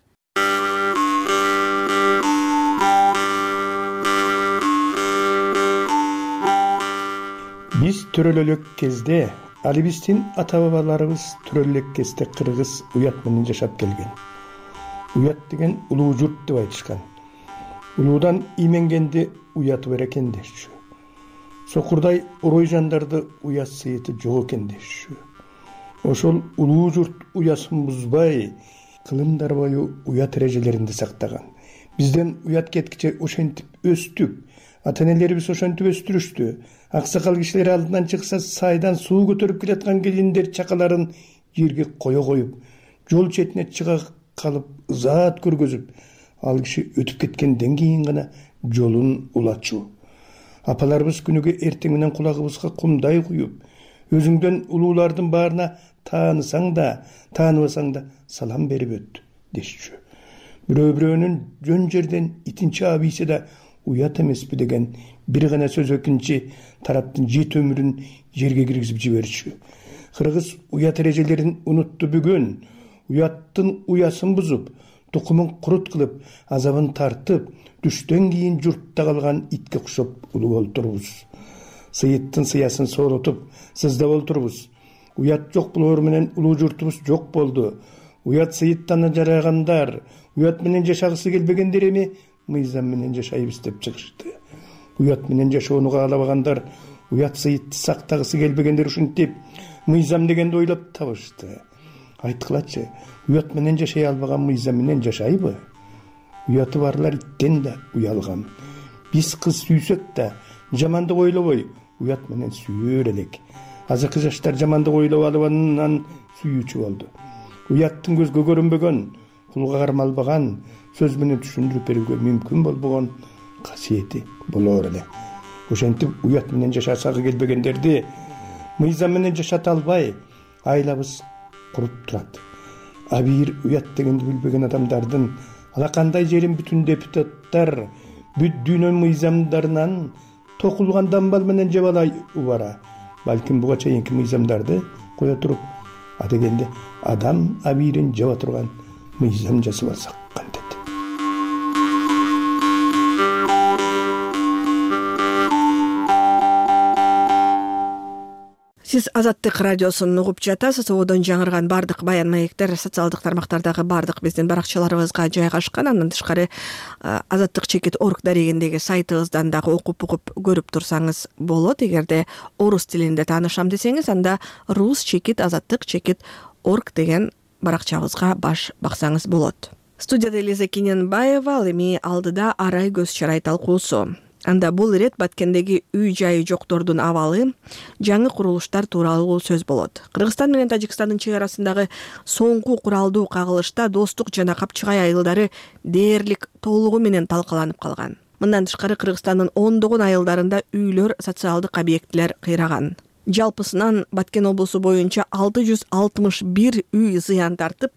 Биз төрөлө элек кезде, али биздин ата бабаларыбыз төрөлө элек кезде кыргыз уят менен жашап келген. Уят деген улуу журт деп айтышкан. Улуудан именгенди уяты бар экен дешчү. Сокурдай орой жандарды уят сыйыты жок экен дешчү. Ошол улуу журт уясын бузбай, кылымдар бою уят эрежелеринди сактаган. Бизден уят кеткиче ошентип өстүк. Ата-энелерибиз ошентип өстүрүштү. Аксакал кишилер алдынан чыкса сайдан суу көтөрүп келаткан келиндер чакаларын жерге кое коюп, жол четине чыга калып ызаат көргөзүп, ал киши өтүп кеткенден кийин гана жолун улачу. Апаларыбыз күнүгө эртең менен кулагыбызга кумдай куюп, өзүңдөн улуулардын баарына таанысаң да, тааныбасаң да салам берип өт дешчү. Бирөө-бирөөнүн жөн жерден итин чаап ийсе да уят эмеспи деген бир гана сөз экинчи тараптын жет өмүрүн жерге киргизип жиберчү. Кыргыз уят эрежелерин унутту бүгүн, уяттын уясын бузуп, тукумун курут кылып, азабын тартып, түштөн кийин журтта калган итке окшоп улуу олтурбуз. Сыйыттын сыясын сооротуп, сыздап олтурбуз. Уят жок болоор менен улуу журтубуз жок болду. Уят сыйыттан жарагандар, уят менен жашагысы келбегендер эми мыйзам менен жашайбыз деп чыгышты. Уят менен жашоону каалабагандар, уят сыйытты сактагысы келбегендер ушинтип мыйзам дегенди ойлоп табышты. Айткылачы, уят менен жашай албаган мыйзам менен жашайбы? Уяты барлар иттен да уялган. Биз кыз сүйсөк да жамандык ойлобой, уят менен сүйөр элек. Азыркы жаштар жамандык ойлоп албаганынан сүйүүчү болду. Уяттын көзгө көрүнбөгөн, кулга кармалбаган, сөз менен түшүндүрүп берүүгө мүмкүн болбогон касиети болоор эле. Ошентип уят менен жашасагы келбегендерди мыйзам менен жашата албай, айлабыз куруп турат. А бир уят дегенди билбеген адамдардын алакандай жерин бүтүн депутаттар бүт дүйнө мыйзамдарынан токулган дамбал менен жебалай убара. Балким буга чейинки мыйзамдарды кое туруп, адегенде адам абийирин жаба турган мыйзам жасап алсак кантет. Сиз Азаттык радиосун угуп жатасыз. Одон жаңырган бардык баян маектер социалдык тармактардагы бардык биздин баракчаларыбызга жайгашкан. Андан тышкары азаттык чекит орг дарегиндеги сайтыбыздан дагы окуп угуп көрүп турсаңыз болот. Эгерде орус тилинде таанышам десеңиз, анда рус чекит азаттык чекит орг деген баракчабызга баш баксаңыз болот. Студияда Элиза Кененбаева, ал эми алдыда арай көз чарай талкуусу. Анда бул ирет Баткендеги үй жайы жоктордун абалы, жаңы курулуштар тууралуу сөз болот. Кыргызстан менен Тажикстандын чек арасындагы соңку куралдуу кагылышта достук жана Капчыгай айылдары дээрлик толугу менен талкаланып калган. Мындан тышкары Кыргызстандын ондогон айылдарында үйлөр, социалдык объектилер кыйраган. Жалпысынан Баткен облусу боюнча алты жүз алтымыш бир үй зыян тартып,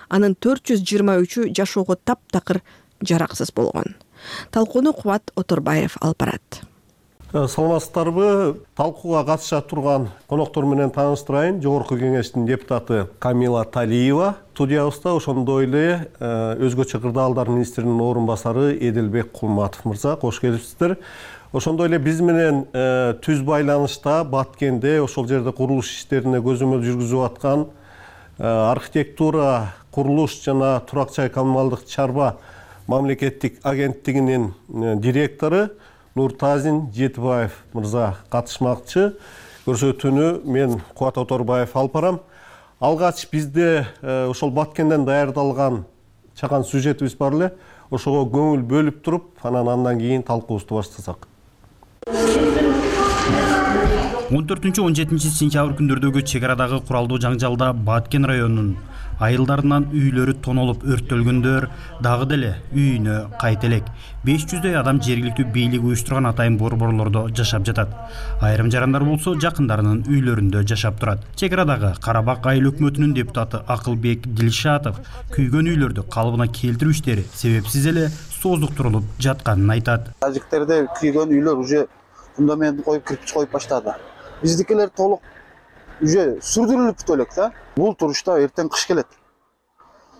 анын төрт жүз жыйырма үчү жашоого таптакыр жараксыз болгон. Талкууну Кубат Оторбаев алып барат. Саламатсыздарбы? Талкууга катыша турган коноктор менен тааныштырайын. Жогорку кеңештин депутаты Камила Талиева студиябызда, ошондой эле өзгөчө кырдаалдар министринин орун басары Эдилбек Кулматов мырза, кош келипсиздер. Ошондой эле биз менен түз байланышта Баткенде ошол жерде курулуш иштерине көзөмөл жүргүзүп аткан архитектура, курулуш жана турак жай коммуналдык чарба мамлекеттик агенттигинин директору Нуртазин Жетибаев мырза катышмакчы. Көрсөтүүнү мен Кубат Оторбаев алып барам. Алгач бизде ошол Баткенден даярдалган чакан сюжетибиз бар эле. Ошого көңүл бөлүп туруп, анан андан кийин талкуубузду баштасак. он төртүнчү он жетинчи сентябрь күндөрдөгү чек арадагы куралдуу жаңжалда Баткен районунун айылдарынан үйлөрү тонолуп өрттөлгөндөр дагы деле үйүнө кайта элек. беш жүздөй адам жергиликтүү бийлик уюштурган атайын борборлордо жашап жатат. Айрым жарандар болсо жакындарынын үйлөрүндө жашап турат. Чек арадагы Карабак айыл өкмөтүнүн депутаты Акылбек Дилшатов күйгөн үйлөрдү калыбына келтирүү иштери себепсиз эле создуктурулуп жатканын айтат. Тажиктерде күйгөн үйлөр уже фундамент коюп, кирпич коюп баштады. Биздикилер толук уже сүрдүрүлүп элек да. Бул турушта эртең кыш келет.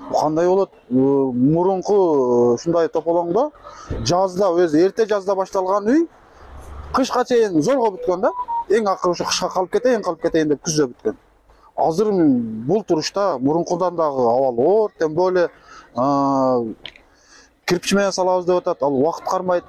Кандай болот? Мурунку ушундай тополоңдо жазда өзү эрте жазда башталган үй кышка чейин зорго бүткөн да. Эң акыры ушу кышка калып кетейин, калып кетейин деп күздө бүткөн. Азыр бул турушта мурункудан дагы абал оор, тем более кирпич менен салабыз деп атат. Ал убакыт кармайт,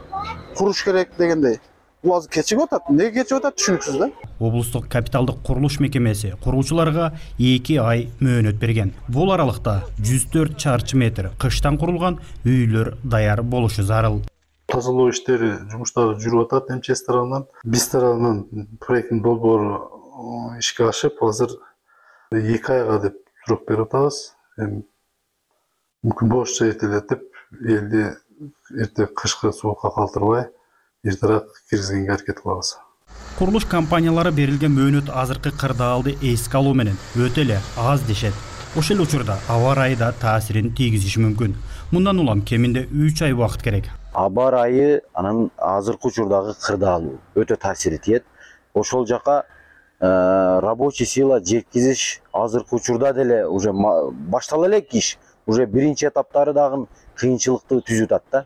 куруш керек дегендей. Бул азыр кечигип атат. Эмнеге кечигип атат түшүнүксүз да. Облустук капиталдык курулуш мекемеси куруучуларга эки ай мөөнөт берген. Бул аралыкта жүз төрт чарчы метр кыштан курулган үйлөр даяр болушу зарыл. Тазалоо иштери, жумуштары жүрүп атат эм че эс тарабынан. Биз тарабынан проекттин долбоору ишке ашып, азыр эки айга деп сурок берип атабыз. Мүмкүн болушча эртелетип, элди эрте кышкы суукка калтырбай эртерээк киргизгенге аракет кылабыз. Курулуш компаниялары берилген мөөнөт азыркы кырдаалды эске алуу менен өтө эле аз дешет. Ошол эле учурда аба ырайы да таасирин тийгизиши мүмкүн. Мындан улам кеминде үч ай убакыт керек. Аба ырайы анын азыркы учурдагы кырдаалуу өтө таасири тиет. Ошол жака рабочий сила жеткизиш азыркы учурда деле уже баштала элек иш. Уже биринчи этаптары дагы кыйынчылыкты түзүп атат да.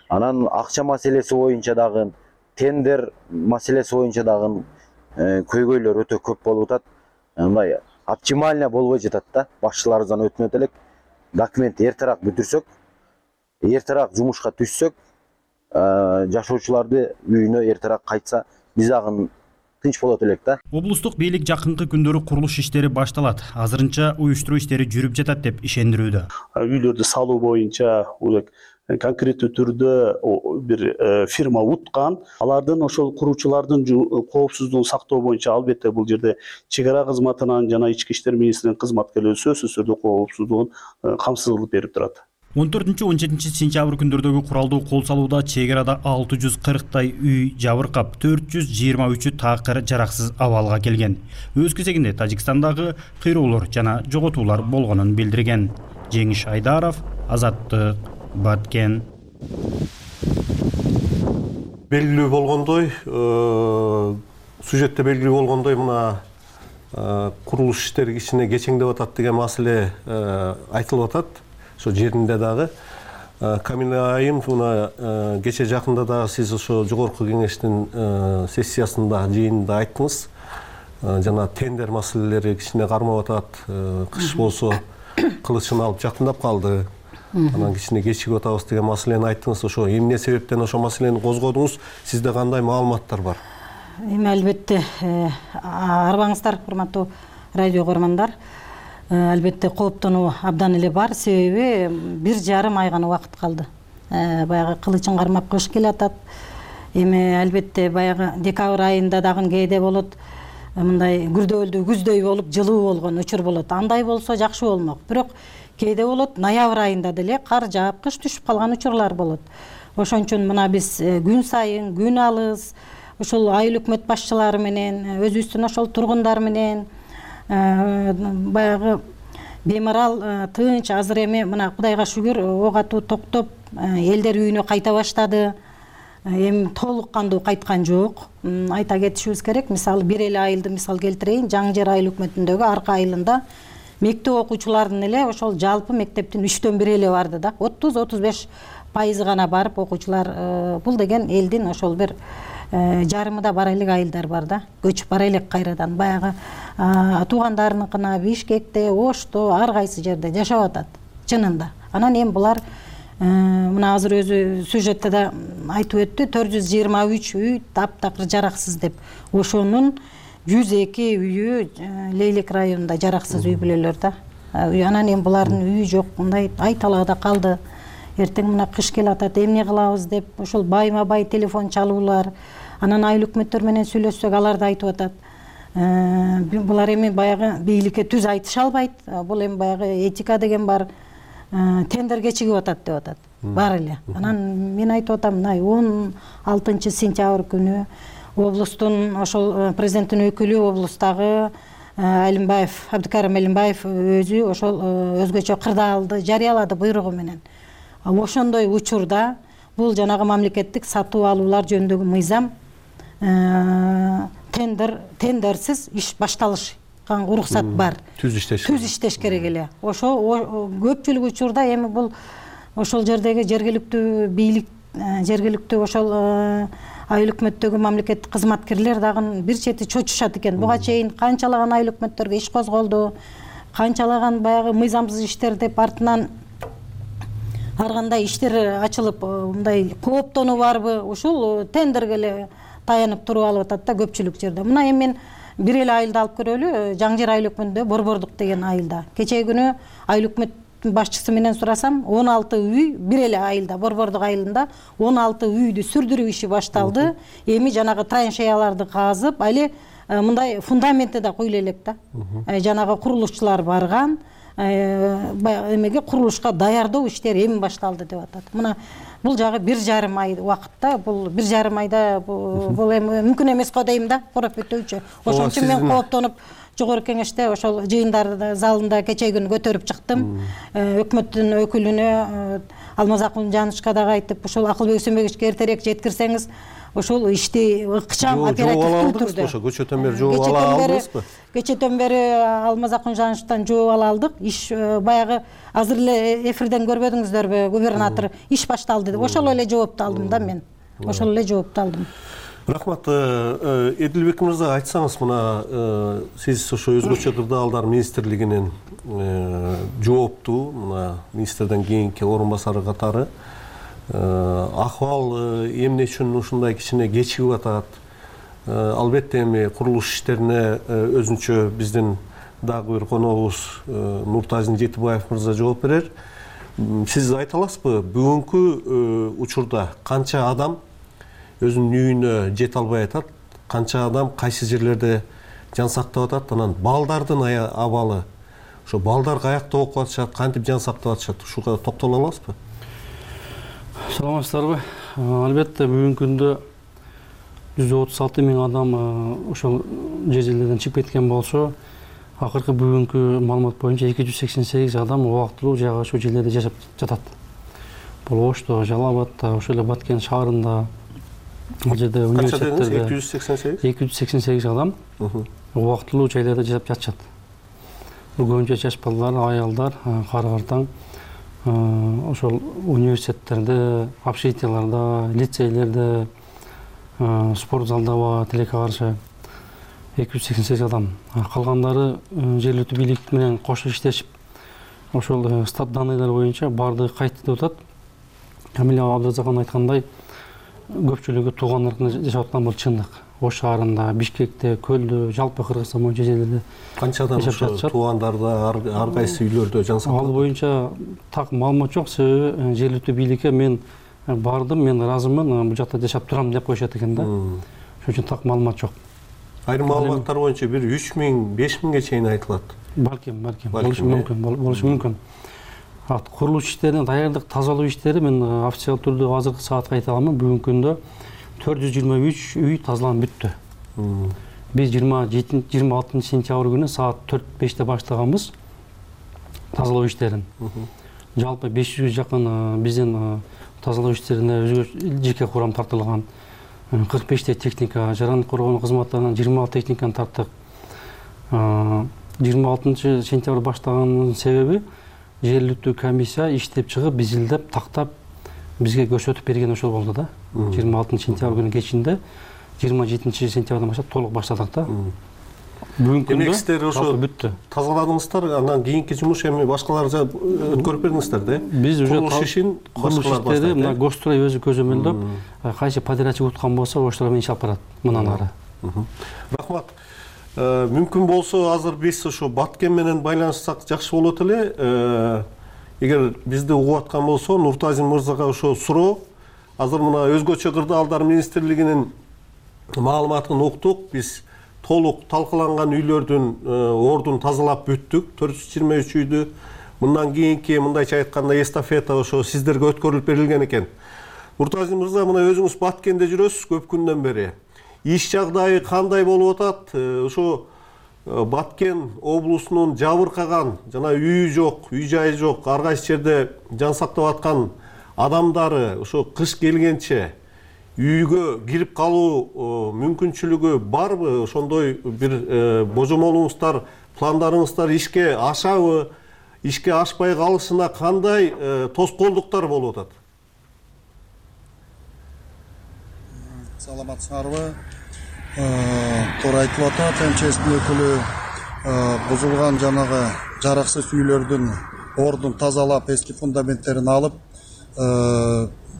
Анан акча маселеси боюнча дагы, тендер маселеси боюнча дагы көйгөйлөр өтө көп болуп атат. Мындай оптимально болбой жатат да. Башчыларыбыздан өтүнөт элек. Документ эртерээк бүтүрсөк, эртерээк жумушка түшсөк, жашоочуларды үйүнө эртерээк кайтса, биз дагы тынч болот элек да. Облустук бийлик жакынкы күндөрү курулуш иштери башталат. Азырынча уюштуруу иштери жүрүп жатат деп ишендирүүдө. Үйлөрдү салуу боюнча конкреттүү түрдө бир фирма уткан. Алардын ошол куруучулардын коопсуздугун сактоо боюнча албетте бул жерде чек ара кызматынан жана ички иштер министринин кызматкерлери сөзсүз түрдө коопсуздугун камсыздык берип турат. он төртүнчү он жетинчи сентябрь күндөрдөгү куралдуу кол салууда чек арада алты жүз кырктай үй жабыркап, төрт жүз жыйырма үчү такыр жараксыз абалга келген. Өз кезегинде Тажикстандагы кыйроолор жана жоготуулар болгонун билдирген. Жеңиш Айдаров, Азаттык, Баткен. Белгилүү болгондой, сюжетте белгилүү болгондой, мына курулуш иштери кичине кечеңдеп атат деген маселе айтылып атат. Ошо жеринде дагы Камила айым мына кече жакында дагы сиз ошо жогорку кеңештин сессиясында, жыйынында айттыңыз. жана тендер маселелери кичине кармап атат. Кыш болсо кылычын алып жакындап калды. Анан кичине кечигип атабыз деген маселени айттыңыз. Ошо эмне себептен ошо маселени козгодуңуз? Сизде кандай маалыматтар бар? Эми албетте арбаңыздар, урматтуу радио көрмандар. Албетте кооптонуу абдан эле бар. Себеби бир жарым ай гана убакыт калды. Баягы кылычын кармап кыш келатат. Эми албетте баягы декабрь айында дагы кээде болот. Мындай күрдөөлдүү күздөй болуп жылуу болгон учур болот. Андай болсо жакшы болмок. Бирок кээде болот ноябрь айында деле кар жаап кыш түшүп калган учурлар болот. Ошон үчүн мына биз күн сайын, күн алыс ошол айыл өкмөт башчылары менен, өзүбүздүн ошол тургундар менен баягы бемарал тынч азыр эми мына Кудайга шүгүр ок атуу токтоп, элдер үйүнө кайта баштады. Эми толук кандуу кайткан жок. Айта кетишибиз керек. Мисалы бир эле айылды мисал келтирейин. Жаңы Жер айыл өкмөтүндөгү Арка айылында мектеп окуучуларынын эле ошол жалпы мектептин үчтөн бири эле барды да. отуз отуз беш пайызы гана барып окуучулар. Бул деген элдин ошол бир жарымында бара элек айылдар бар да. Көчүп бара элек кайрадан баягы туугандарыныкына Бишкекте, Ошто, ар кайсы жерде жашап атат чынында. Анан эми булар мына азыр өзү сюжетте да айтып өттү, төрт жүз жыйырма үч үй таптакыр жараксыз деп. Ошонун жүз эки үйү Лейлек районунда жараксыз үй бүлөлөр да. Анан эми булардын үйү жок, мындай ай талаада калды. Эртең мына кыш келатат, эмне кылабыз деп ошол байма-бай телефон чалуулар. Анан айыл өкмөттөр менен сүйлөшсөк, алар да айтып атат. Булар эми баягы бийликке түз айтыша албайт. Бул эми баягы этика деген бар. Тендер кечигип атат деп атат. Бар эле. Анан мен айтып атам, мына он алтынчы сентябрь күнү облустун ошол президенттин өкүлү облустагы Алимбаев, Абдыкарим Алимбаев өзү ошол өзгөчө кырдаалды жарыялады буйругу менен. Ошондой учурда бул жанагы мамлекеттик сатуу алуулар жөнүндөгү мыйзам тендер тендерсиз иш башталышкан уруксат бар. Түз иштеш. Түз иштеш керек эле. Ошо көпчүлүк учурда эми бул ошол жердеги жергиликтүү бийлик, жергиликтүү ошол айыл өкмөттөгү мамлекеттик кызматкерлер дагы бир чети чочушат экен. Буга чейин канчалаган айыл өкмөттөргө иш козголду, канчалаган баягы мыйзамсыз иштер деп артынан ар кандай иштер ачылып, мындай кооптонуу барбы, ушул тендерге эле таянып туруп алып атат да көпчүлүк жерде. Мына эми мен бир эле айылды алып көрөлү, Жаңы Жер айыл өкмөтүндө Борбордук деген айылда. Кечээ күнү айыл өкмөт башчысы менен сурасам, он алты үй бир эле айылда, Борбордук айылында он алты үйдү сүрдүрүү иши башталды. Эми жанагы траншеяларды казып, али мындай фундаменти да куйла элек да. Жанагы курулушчулар барган. Эмеге курулушка даярдоо иштери эми башталды деп атат. Мына бул жагы бир жарым ай убакытта, бул бир жарым айда бул эми мүмкүн эмес го дейм да, курап өтөүчү. Ошон үчүн мен кооптонуп жогорку кеңеште ошол жыйындар залында кечээ күнү көтөрүп чыктым. Өкмөттүн өкүлүнө Алмазакул Жанышка дагы айтып, ошол Акылбек Үсөнбековичке эртерээк жеткирсеңиз, ошол ишти ыкчам оперативдүү түрдө. Ошо көчөтөн бери жооп ала алдыңызбы? Кечетен бери Алмазакул Жаныштан жооп ала алдык. Иш баягы азыр эле эфирден көрбөдүңүздөрбү, губернатор иш башталды деп. Ошол эле жоопту алдым да мен. Ошол эле жоопту алдым. Рахмат. Эдилбек мырза, айтсаңыз, мына сиз ошо өзгөчө кырдаалдар министрлигинин жооптуу, мына министрден кийинки орун басары катары акыбал эмне үчүн ушундай кичине кечигип атат? Албетте эми курулуш иштерине өзүнчө биздин дагы бир коногубуз Нуртазин Жетибаев мырза жооп берер. Сиз айта аласызбы, бүгүнкү учурда канча адам өзүнүн үйүнө жете албай атат, канча адам кайсы жерлерде жан сактап атат, анан балдардын абалы, ошо балдар каякта окуп атышат, кантип жан сактап атышат, ушуга токтоло аласызбы? Саламатсыздарбы? Албетте бүгүнкү күндө жүз отуз алты миң адам ошол жер жерлерден чыгып кеткен болсо, акыркы бүгүнкү маалымат боюнча эки жүз сексен сегиз адам убактылуу жагы ошол жерлерде жашап жатат. Бул Ошто, Жалал-Абадта, ошол эле Баткен шаарында, ал жерде университеттерде эки жүз сексен сегиз эки жүз сексен сегиз адам убактылуу жайларда жашап жатышат. Бул көбүнчө жаш балдар, аялдар, кары-картаң ошол университеттерде, общежитияларда, лицейлерде, спорт залда, тилекке каршы. эки жүз сексен сегиз адам. Калгандары жергиликтүү бийлик менен кошо иштешип, ошол стат данныйлар боюнча баардыгы кайтты деп атат. Камила Абдразакан айткандай, көпчүлүгү туугандарында жашап аткан бул чындык. Ош шаарында, Бишкекте, Көлдө, жалпы Кыргызстан боюнча жерлерде канчадан ошо туугандарда, ар кайсы үйлөрдө жан сактап? Ал боюнча так маалымат жок, себеби жергиликтүү бийликке мен бардым, мен ыраазымын, бул жакта жашап турам деп коюшат экен да. Ошон үчүн так маалымат жок. Айрым маалыматтар боюнча бир үч миң, беш миңге чейин айтылат. Балким, балким, болушу мүмкүн, болушу мүмкүн. Курулуш иштерине даярдык, тазалоо иштери мен официалдуу түрдө азыркы саатка айта аламын. Бүгүнкү күндө төрт жүз жыйырма үч үй тазаланып бүттү. Биз жыйырма алтынчы сентябрь күнү саат төрт беште баштаганбыз тазалоо иштерин. Жалпы беш жүзгө жакын биздин тазалоо иштерине өзгө жеке курам тартылган. кырк беште техника, жарандык коргонуу кызматтарынан жыйырма алты техниканы тарттык. жыйырма алтынчы сентябрь баштаганын себеби жергиликтүү комиссия иштеп чыгып, бизилдеп, тактап бизге көрсөтүп берген ошол болду да. жыйырма алтынчы сентябрь күнү кечинде жыйырма жетинчи сентябрдан баштап толук баштадык да. Бүгүнкү күндө сиздер ошо бүттү. Тазаладыңыздар, андан кийинки жумуш эми башкаларга өткөрүп бердиңиздер да. Биз уже курулуш ишин башкалар баштайт. Мына Госстрой өзү көзөмөлдөп, кайсы подрядчик уткан болсо, ошолор менен иш алып барат мындан ары. Рахмат. Мүмкүн болсо азыр биз ошо Баткен менен байланыссак жакшы болот эле. Эгер бизди угуп аткан болсо, Нуртазин мырзага ошо суроо. Азыр мына өзгөчө кырдаалдар министрлигинин маалыматын уктук. Биз толук талкаланган үйлөрдүн ордун тазалап бүттүк, төрт жүз жыйырма үч үйдү. Мындан кийинки мындайча айтканда эстафета ошо сиздерге өткөрүлүп берилген экен. Нуртазин мырза, мына өзүңүз Баткенде жүрөсүз көп күндөн бери. Иш жагдайы кандай болуп атат? Ошо Баткен облусунун жабыркаган, жана үйү жок, үй жайы жок, ар кайсы жерде жан сактап аткан адамдары ошо кыш келгенче үйгө кирип калуу мүмкүнчүлүгү барбы? Ошондой бир божомолуңуздар, пландарыңыздар ишке ашабы? Ишке ашпай калышына кандай тоскоолдуктар болуп атат? Саламатсыңарбы? Туура айтып атат, МЧСтин өкүлү бузулган жанагы жараксыз үйлөрдүн ордун тазалап, эски фундаменттерин алып,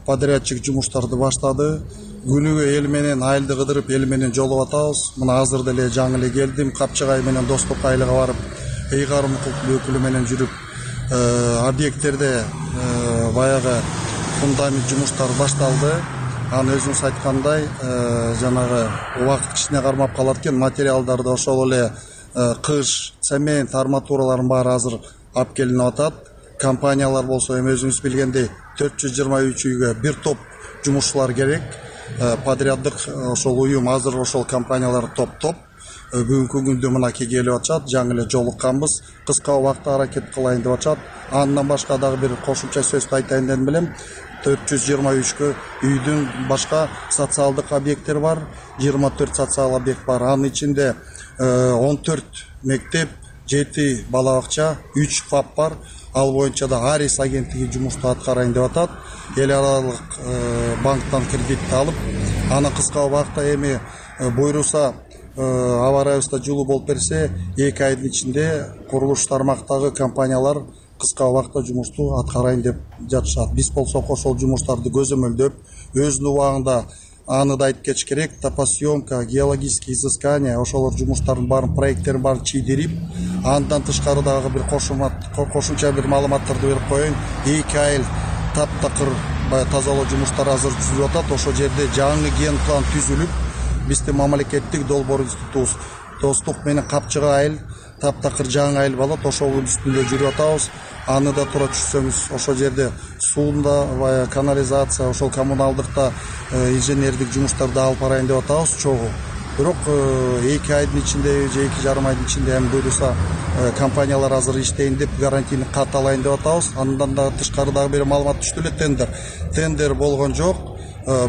подрядчик жумуштарды баштады. Күнүгө эл менен айылды кыдырып, эл менен жолуп атабыз. Мына азыр деле жаңы эле келдим, Капчыгай менен Достук айылга барып, Эйгарым өкүлү менен жүрүп, объекттерде баягы фундамент жумуштары башталды. Аны өзүңүз айткандай, жанагы убакыт кичине кармап калат экен, материалдарды ошол эле кыш, цемент, арматуралардын баары азыр алып келинип атат. Компаниялар болсо эми өзүңүз билгендей төрт жүз жыйырма үч үйгө бир топ жумушчулар керек. Подряддык ошол уюм азыр ошол компаниялар топтоп бүгүнкү күндө мынакей келип атышат, жаңы эле жолукканбыз. Кыска убакытта аракет кылайын деп атышат. Андан башка дагы бир кошумча сөздү айтайын деп элем. төрт жүз жыйырма үчкө үйдүн башка социалдык объекттери бар, жыйырма төрт социал объект бар. Анын ичинде он төрт мектеп, жети бала бакча, үч ФАП бар. Ал боюнча да Арис агенттиги жумушту аткарайын деп атат. Эл аралык банктан кредитти алып, аны кыска убакытта эми буйруса, аба ырайыбызда жылуу болуп берсе, эки айдын ичинде курулуш тармактагы компаниялар кыска убакытта жумушту аткарайын деп жатышат. Биз болсок ошол жумуштарды көзөмөлдөп, өзүнүн убагында аны да айтып кетиш керек, топосъемка, геологические изыскания, ошолор жумуштардын баарын проекттерин баарын чийдирип, андан тышкары дагы бир кошумча бир маалыматтарды берип коеюн. эки айыл таптакыр тазалоо жумуштары азыр түзүлүп атат. Ошол жерде жаңы ген план түзүлүп, биздин мамлекеттик долбоор институтубуз Достук менен Капчыгай айыл таптакыр жаңы айыл болот. Ошонун үстүндө жүрүп атабыз. Аны да туура түшсөңүз, ошол жерде суунда, канализация, ошол коммуналдыкта инженердик жумуштарды алып барайын деп атабыз чогуу. Бирок эки айдын ичинде же эки жарым айдын ичинде эми буйруса компаниялар азыр иштейин деп гарантийни кат алайын деп атабыз. Андан да тышкары дагы бир маалымат түштү эле, тендер. Тендер болгон жок.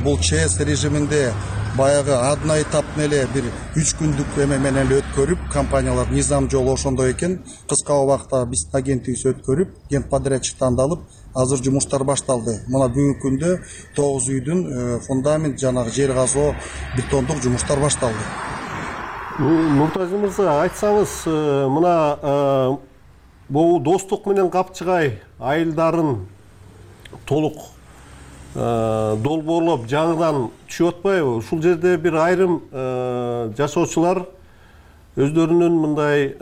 Бул ЧС режиминде баягы одноэтапный эле бир үч күндүк эме менен эле өткөрүп, компаниялар низам жолу ошондой экен. Кыска убакытта биздин агенттигибиз өткөрүп, генподрядчик тандалып, азыр жумуштар башталды. Мына бүгүнкү күндө тогуз үйдүн фундамент, жанагы жер казуу, бетондук жумуштар башталды. Нуртазин мырза, айтсаңыз, мына бул Достук менен Капчыгай айылдарын толук долбоорлоп жаңыдан түшүп атпайбы? Ушул жерде бир айрым жашоочулар өздөрүнүн мындай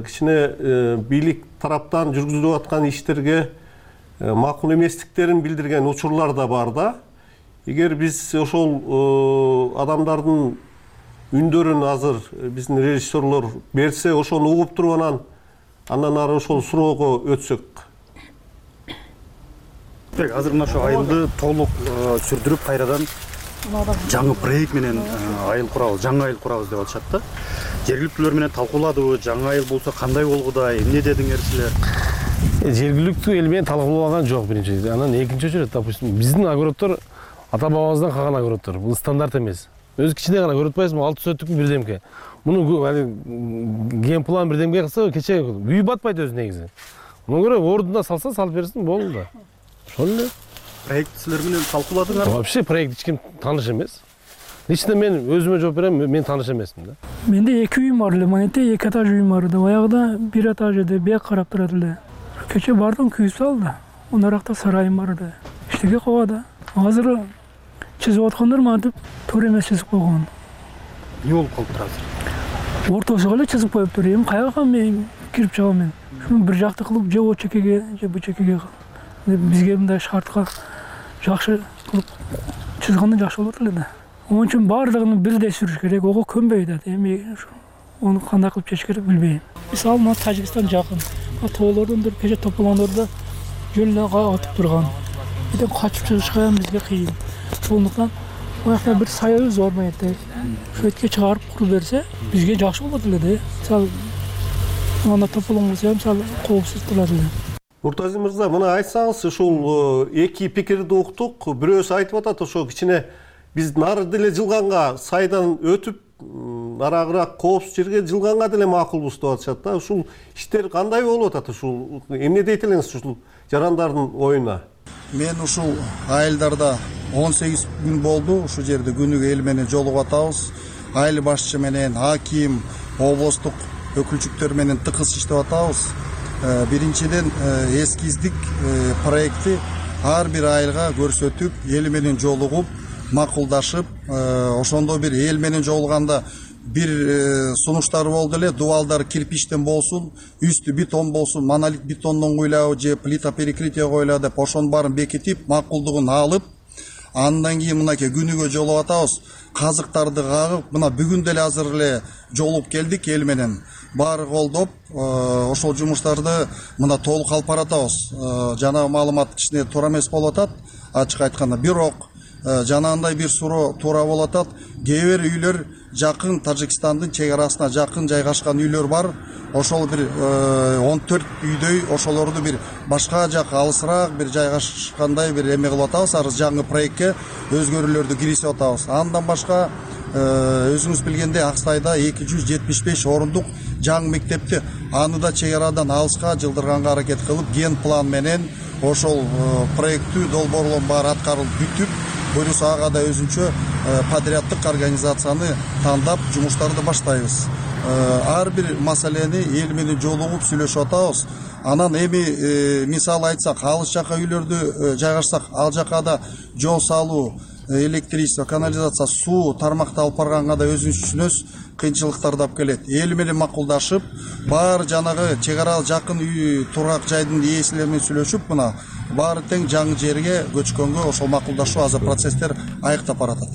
кичине бийлик тараптан жүргүзүлүп аткан иштерге макул эместиктерин билдирген учурлар да бар да. Эгер биз ошол адамдардын үндөрүн азыр биздин режиссерлор берсе, ошону угуп туруп анан андан ары ошол суроого өтсөк. Азыр мына ошо айылды толук сүрдүрүп кайрадан жаңы проект менен айыл курабыз, жаңы айыл курабыз деп атышат да. Жергиликтүүлөр менен талкууладыбы, жаңы айыл болсо кандай болгудай, эмне дедиңер силер? Жергиликтүү эл менен талкуулаган жок биринчи. Анан экинчи очередь, допустим, биздин огороддор ата бабабыздан калган огороддор. Бул стандарт эмес. Өзү кичине гана көрүп атпайсызбы, алты сотук бирдемке. Муну ген план бирдемке кылса, кече үй батпайт өзү негизи. Муну көрө ордуна салса, салып берсин, болду да. Ошол эле. Проект силер менен талкууладыңар? Вообще проект эч ким тааныш эмес. Лично мен өзүмө жооп берем, мен тааныш эмесмин да. Менде эки үйүм бар эле, манете эки этаж үйүм бар да. Аягында бир этаж эде, бияк карап турат эле. Кече бардым, күйүп салды. Онаракта сарайым бар да. Иштеге кобада. Азыр чизип аткандар мантип туура эмес чизип койгон. Эмне болуп калыптыр азыр? Ортосуга эле чизип коюптур. Эми каяга мен кирип чыгам мен? Шуну бир жакты кылып, же о чекеге, же бу чекеге бизге мындай шартка жакшы кылып чызганда жакшы болот эле да. Onun için bardığını birde sürüş gerek, oğu könbeydi. Emi onu kандай kılıp çeş gerek bilbeyim. Misal mı Tacikistan jakın. Toğlardan bir keşe toplanan jönüne atıp durgan. Bir de kaçıp çıkışkan bizge kıyın. Sonuçtan o yakta bir sayı zor mu etti. Şu etke çıkarıp kuru verse bizge jakşı olur dedi. Misal ona toplanan olsa misal kovsuz tular dedi. Нуртазин мырза, мына айтсаңыз, ушул эки пикирди уктук. Бирөөсү айтып атат, ошо кичине биз нары деле жылганга сайдан өтүп, нарагыраак коопсуз жерге жылганга деле макулбуз деп атышат да. Ушул иштер кандай болуп атат? Ушул эмне дейт элеңиз ушул жарандардын оюна? Мен ушул айылдарда он сегиз күн болду. Ушул жерде күнүгө эл менен жолугуп атабыз. Айыл башчы менен, аким, облустук өкүлчүктөр менен тыкыз иштеп атабыз. Биринчиден эскиздик проекти ар бир айылга көрсөтүп, эл менен жолугуп, макулдашып, ошондо бир эл менен жолуганда бир сунуштар болду эле, дубалдар кирпичтен болсун, үстү бетон болсун, монолит бетондон куйлабы же плита перекрытие койло деп ошонун баарын бекитип, макулдугун алып, андан кийин мынакей күнүгө жолуп атабыз. Казыктарды кагып, мына бүгүн деле азыр эле жолуп келдик эл менен. Баары колдоп, ошол жумуштарды мына толук алып баратабыз. Жанагы маалымат кичине туура эмес болуп атат, ачык айтканда. Бирок жанагындай бир суроо туура болуп атат. Кээ бир үйлөр жакын Тажикстандын чек арасына жакын жайгашкан үйлөр бар. Ошол бир он төрт үйдөй ошолорду бир башка жак алысыраак бир жайгашкандай бир эме кылып атабыз. Арыз жаңы проектке өзгөрүүлөрдү киргизип атабыз. Андан башка өзүңүз билгендей Аксайда эки жүз жетимиш беш орундук жаңы мектепти аны да чек арадан алыска жылдырганга аракет кылып, ген план менен ошол проекттүү долбоорлордун баары аткарылып бүтүп, буюрса ага да өзүнчө подряддык организацияны тандап жумуштарды баштайбыз. Ар бир маселени эл менен жолугуп сүйлөшүп атабыз. Анан эми мисал айтсак, алыс жака үйлөрдү жайгашсак, ал жака да жол салуу, электричество, канализация, суу тармакты алып барганга да өзүнчө кыйынчылыктарды алып келет. Эл менен макулдашып, баары жанагы чек ара жакын үй турак жайдын ээсилери менен сүйлөшүп, мына баары тең жаңы жерге көчкөнгө ошол макулдашуу азыр процесстер айыктап баратат.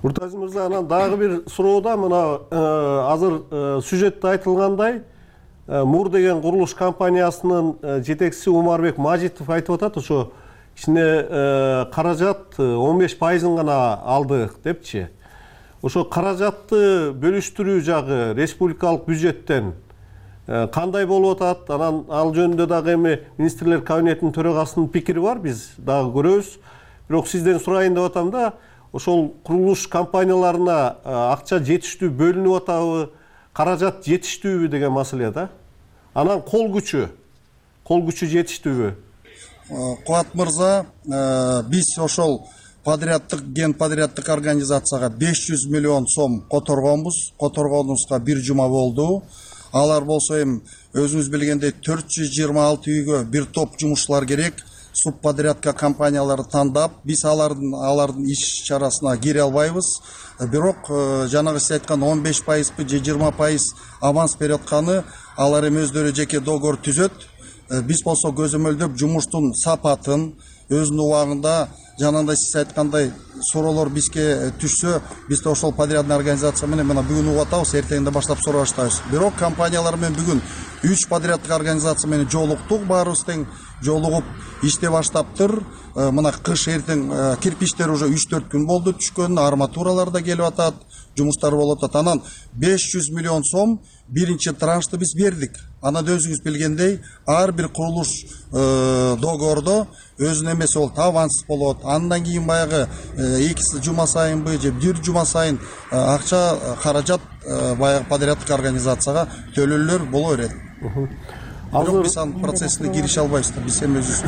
Нуртазин мырза, анан дагы бир суроода мына азыр сюжетте айтылгандай, Мур деген курулуш компаниясынын жетекчиси Умарбек Мажитов айтып атат, ошо кичине каражат он беш пайызын гана алдык депчи. Ошо каражатты бөлүштүрүү жагы республикалык бюджеттен кандай болуп атат? Анан ал жөнүндө дагы эми министрлер кабинетинин төрагасынын пикири бар, биз дагы көрөбүз. Бирок сизден сурайын деп атам да, ошол курулуш компанияларына акча жетиштүү бөлүнүп атабы, каражат жетиштүүбү деген маселе да. Анан кол күчү, кол күчү жетиштүүбү? Кубат мырза, биз ошол подряддык ген подряддык организацияга беш жүз миллион сом которгонбуз. Которгонубузга бир жума болду. Алар болсо эми өзүңүз билгендей төрт жүз жыйырма алты үйгө бир топ жумушчулар керек. Субподрядка компанияларды тандап, биз алардын алардын иш чарасына кире албайбыз. Бирок жанагы сиз айткан он беш пайызбы же жыйырма пайыз аванс берип атканы алар эми өздөрү жеке договор түзөт. Биз болсо көзөмөлдөп жумуштун сапатын өзүнүн убагында жанагындай сиз айткандай суроолор бизге түшсө, биз да ошол подрядный организация менен мына бүгүн угуп атабыз, эртеңден баштап сурап баштайбыз. Бирок компаниялар менен бүгүн үч подряддык организация менен жолуктук, баарыбыз тең жолугуп иштеп баштаптыр. Мына кыш эртең кирпичтер уже үч төрт күн болду түшкөн, арматуралар да келип атат, жумуштар болуп атат. Анан беш жүз миллион сом биринчи траншты биз бердик. Анан өзүңүз билгендей, ар бир курулуш договордо өзүнүн эмеси болот, аванс болот. Андан кийин баягы эки жума сайынбы же бир жума сайын акча каражат баягы подряддык организацияга төлөөлөр боло берет. Бирок биз анын процессине кирише албайбыз, биз эми өзүбүз.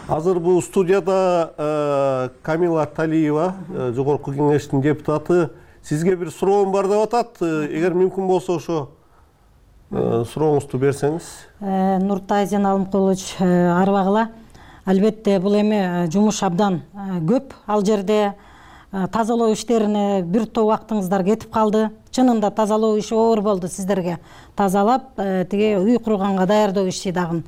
Азыр бул студияда Камила Талиева, жогорку кеңештин депутаты. Сизге бир суроом бар деп атат. Эгер мүмкүн болсо ошо сурооңузду берсеңиз. Нуртай Зейналымкулович арбагыла. Албетте бул эми жумуш абдан көп. Ал жерде тазалоо иштерине бир топ убактыңыздар кетип калды. Чынында тазалоо иши оор болду сиздерге. Тазалап, тиги үй курганга даярдоо иши дагы.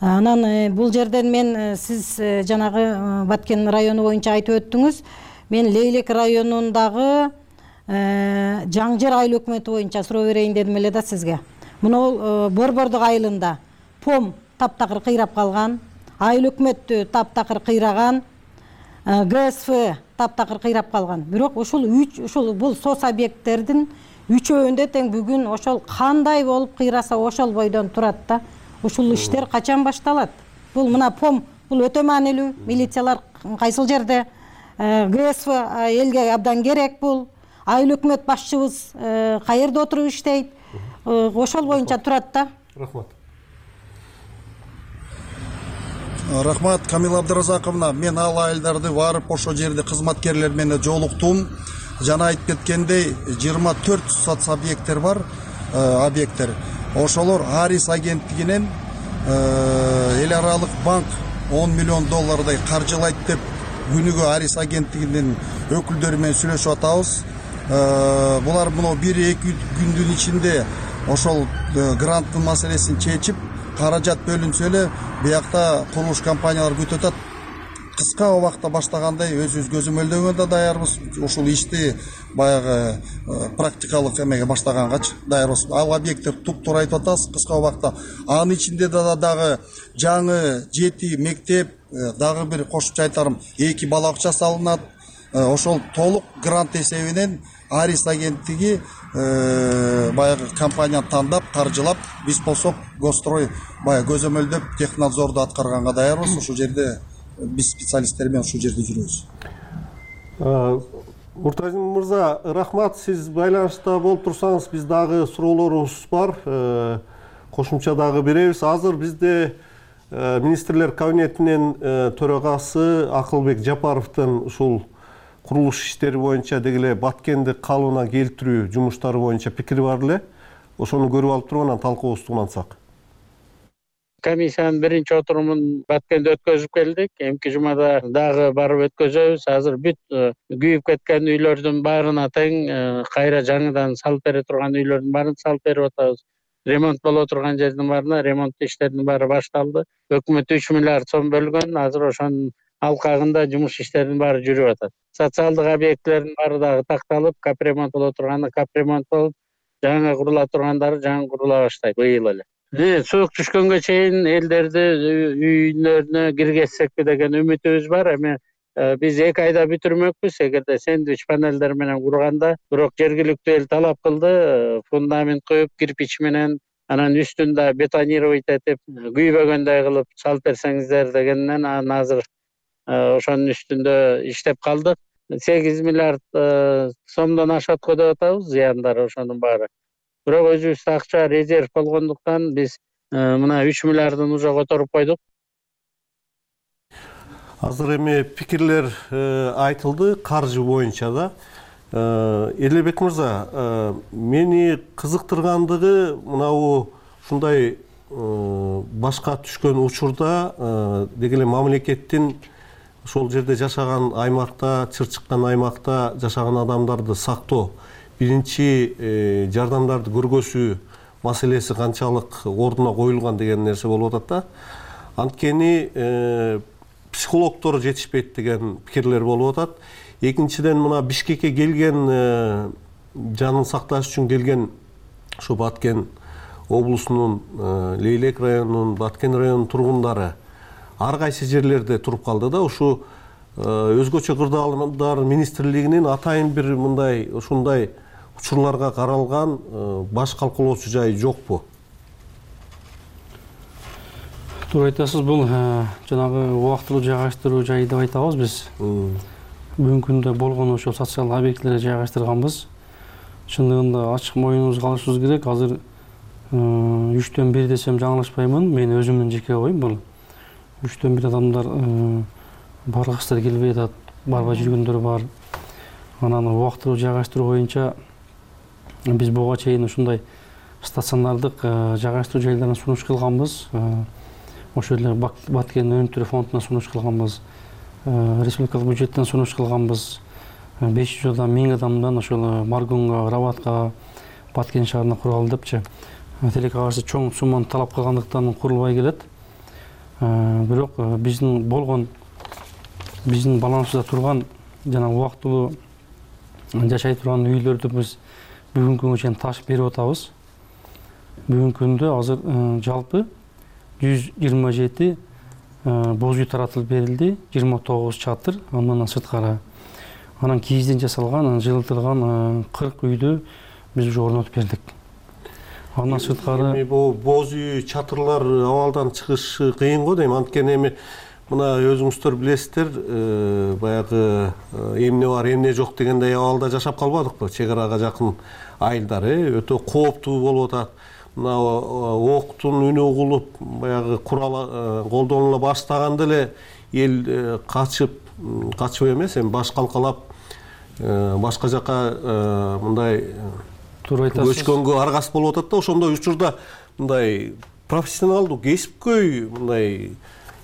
Анан бул жерден мен сиз жанагы Баткен району боюнча айтып өттүңүз. Мен Лейлек районундагы Жаңжер айыл өкмөтү боюнча суроо берейин дедим эле да сизге. Мына Борбордук айылында пом таптакыр кыйрап калган, айыл өкмөттү таптакыр кыйраган, ГСФ таптакыр кыйрап калган. Бирок ушул үч ушул бул сос объекттердин үчөөндө тең бүгүн ошол кандай болуп кыйраса ошол бойдон турат да. Ушул иштер качан башталат? Бул мына пом бул өтө маанилүү. Милициялар кайсыл жерде? ГСФ элге абдан керек бул. Айыл өкмөт башчыбыз каерде отуруп иштейт? Ошол боюнча турат да. Рахмат. Рахмат, Камила Абдыразаковна. Мен ал айылдарды барып ошол жерде кызматкерлер менен жолуктум. Жана айтып кеткендей, жыйырма төрт соц объекттер бар, объекттер. Ошолор Арис агенттигинен эл аралык банк он миллион доллардай каржылайт деп күнүгө Арис агенттигинин өкүлдөрү менен сүйлөшүп атабыз. Булар мына бир эки күндүн ичинде ошол гранттын маселесин чечип, каражат бөлүнсө эле биякта курулуш компаниялар күтүп атат. Кыска убакта баштагандай өзүбүз көзөмөлдөгөн да даярбыз. Ушул ишти баягы практикалык эмеге баштагангачы даярбыз. Ал объекттер туп-туура айтып атабыз, кыска убакта. Анын ичинде да дагы жаңы жети мектеп, дагы бир кошумча айтарым, эки бала бакча салынат. Ошол толук грант эсебинен Арис агенттиги баягы компанияны тандап, каржылап, биз болсок Госстрой баягы көзөмөлдөп, технадзорду аткарганга даярбыз. Ушул жерде биз специалисттер менен ушул жерде жүрөбүз. Муртазин мырза, рахмат. Сиз байланышта болуп турсаңыз, биз дагы суроолорубуз бар. Кошумча дагы беребиз. Азыр бизде министрлер кабинетинин төрагасы Акылбек Жапаровдун ушул курулуш иштери боюнча дегеле Баткенди калыбына келтирүү жумуштары боюнча пикири бар эле. Ошону көрүп алып туруп анан талкуубузду улантсак. Комиссиянын биринчи отурумун Баткенде өткөзүп келдик. Эмки жумада дагы барып өткөзөбүз. Азыр бүт күйүп кеткен үйлөрдүн баарына тең кайра жаңыдан салып бере турган үйлөрдүн баарын салып берип атабыз. Ремонт боло турган жердин баарына ремонт иштеринин баары башталды. Өкмөт үч миллиард сом бөлгөн. Азыр ошонун алкагында жумуш иштеринин баары жүрүп атат. Социалдык объектилердин баары дагы такталып, капремонт боло турганы капремонт болуп, жаңы курула тургандары жаңы курула баштайт быйыл эле. Суук түшкөнгө чейин элдерди үйлөрүнө киргизсекпи деген үмүтүбүз бар. Эми биз эки айда бүтүрмөкпүз, эгерде сэндвич панелдер менен курганда. Бирок жергиликтүү эл талап кылды, фундамент коюп, кирпич менен, анан үстүн да бетонировать этип, күйбөгөндөй кылып салып берсеңиздер дегенден анан азыр ошонун үстүндө иштеп калдык. сегиз миллиард сомдон ашат го деп атабыз, зыяндары ошонун баары. Бирок өзүбүздө акча резерв болгондуктан биз мына үч миллиардын уже которуп койдук. Азыр эми пикирлер айтылды каржы боюнча да. Элебек мырза, мени кызыктыргандыгы мынабу ушундай башка түшкөн учурда деги эле мамлекеттин ошол жерде жашаган аймакта, чыр чыккан аймакта жашаган адамдарды сактоо, биринчи жардамдарды көргөзүү маселеси канчалык ордуна коюлган деген нерсе болуп атат да. Анткени психологдор жетишпейт деген пикирлер болуп атат. Экинчиден мына Бишкекке келген, жанын сакташ үчүн келген ушу Баткен облусунун Лейлек районунун, Баткен районунун тургундары ар кайсы жерлерде туруп калды да. Ушу өзгөчө кырдаалдар министрлигинин атайын бир мындай ушундай учурларга каралган баш калкалоочу жайы жокпу? Туура айтасыз, бул жанагы убактылуу жайгаштыруу жайы деп айтабыз биз. Бүгүнкү күндө болгон ошол социалдык объектилерге жайгаштырганбыз. Чындыгында ачык моюнубузга алышыбыз керек. Азыр үчтөн бир десем жаңылышпаймын. Мен өзүмдүн жеке оюм бул. Үчтөн бир адамдар баргысыздар келбей атат, барбай жүргөндөр бар. Анан убактылуу жайгаштыруу боюнча биз буга чейин ушундай стационардык жайгаштыруу жайларына сунуш кылганбыз. Ошол эле Баткен өнүктүрүү фондуна сунуш кылганбыз. Республикалык бюджеттен сунуш кылганбыз. беш жүз адам, миң адамдан ошол Маргунга, Рабатка, Баткен шаарына куралы депчи. Тилекке каршы чоң сумманы талап кылгандыктан курулбай келет. Бирок биздин болгон биздин балансыбызда турган жана убактылуу жашай турган үйлөрдү биз бүгүнкү күнгө чейин таш берип атабыз. Бүгүнкү күндө азыр жалпы жүз жыйырма жети боз үй таратылып берилди, жыйырма тогуз чатыр, андан сырткары. Анан кийизден жасалган, жылытылган кырк үйдү биз уже орнотуп бердик. Андан сырткары эми бул боз үй чатырлар абалдан чыгышы кыйын го дейм. Анткени эми мына өзүңүздөр билесиздер, баягы эмне бар, эмне жок дегендей абалда жашап калбадыкпы? Чек арага жакын айылдар өтө кооптуу болуп атат. Мына октун үнү угулуп, баягы курал колдонула баштаганда эле эл качып, качып эмес, эми баш калкалап башка жака мындай көчкөнгө аргасыз болуп атат да. Ошондой учурда мындай профессионалдуу, кесипкөй мындай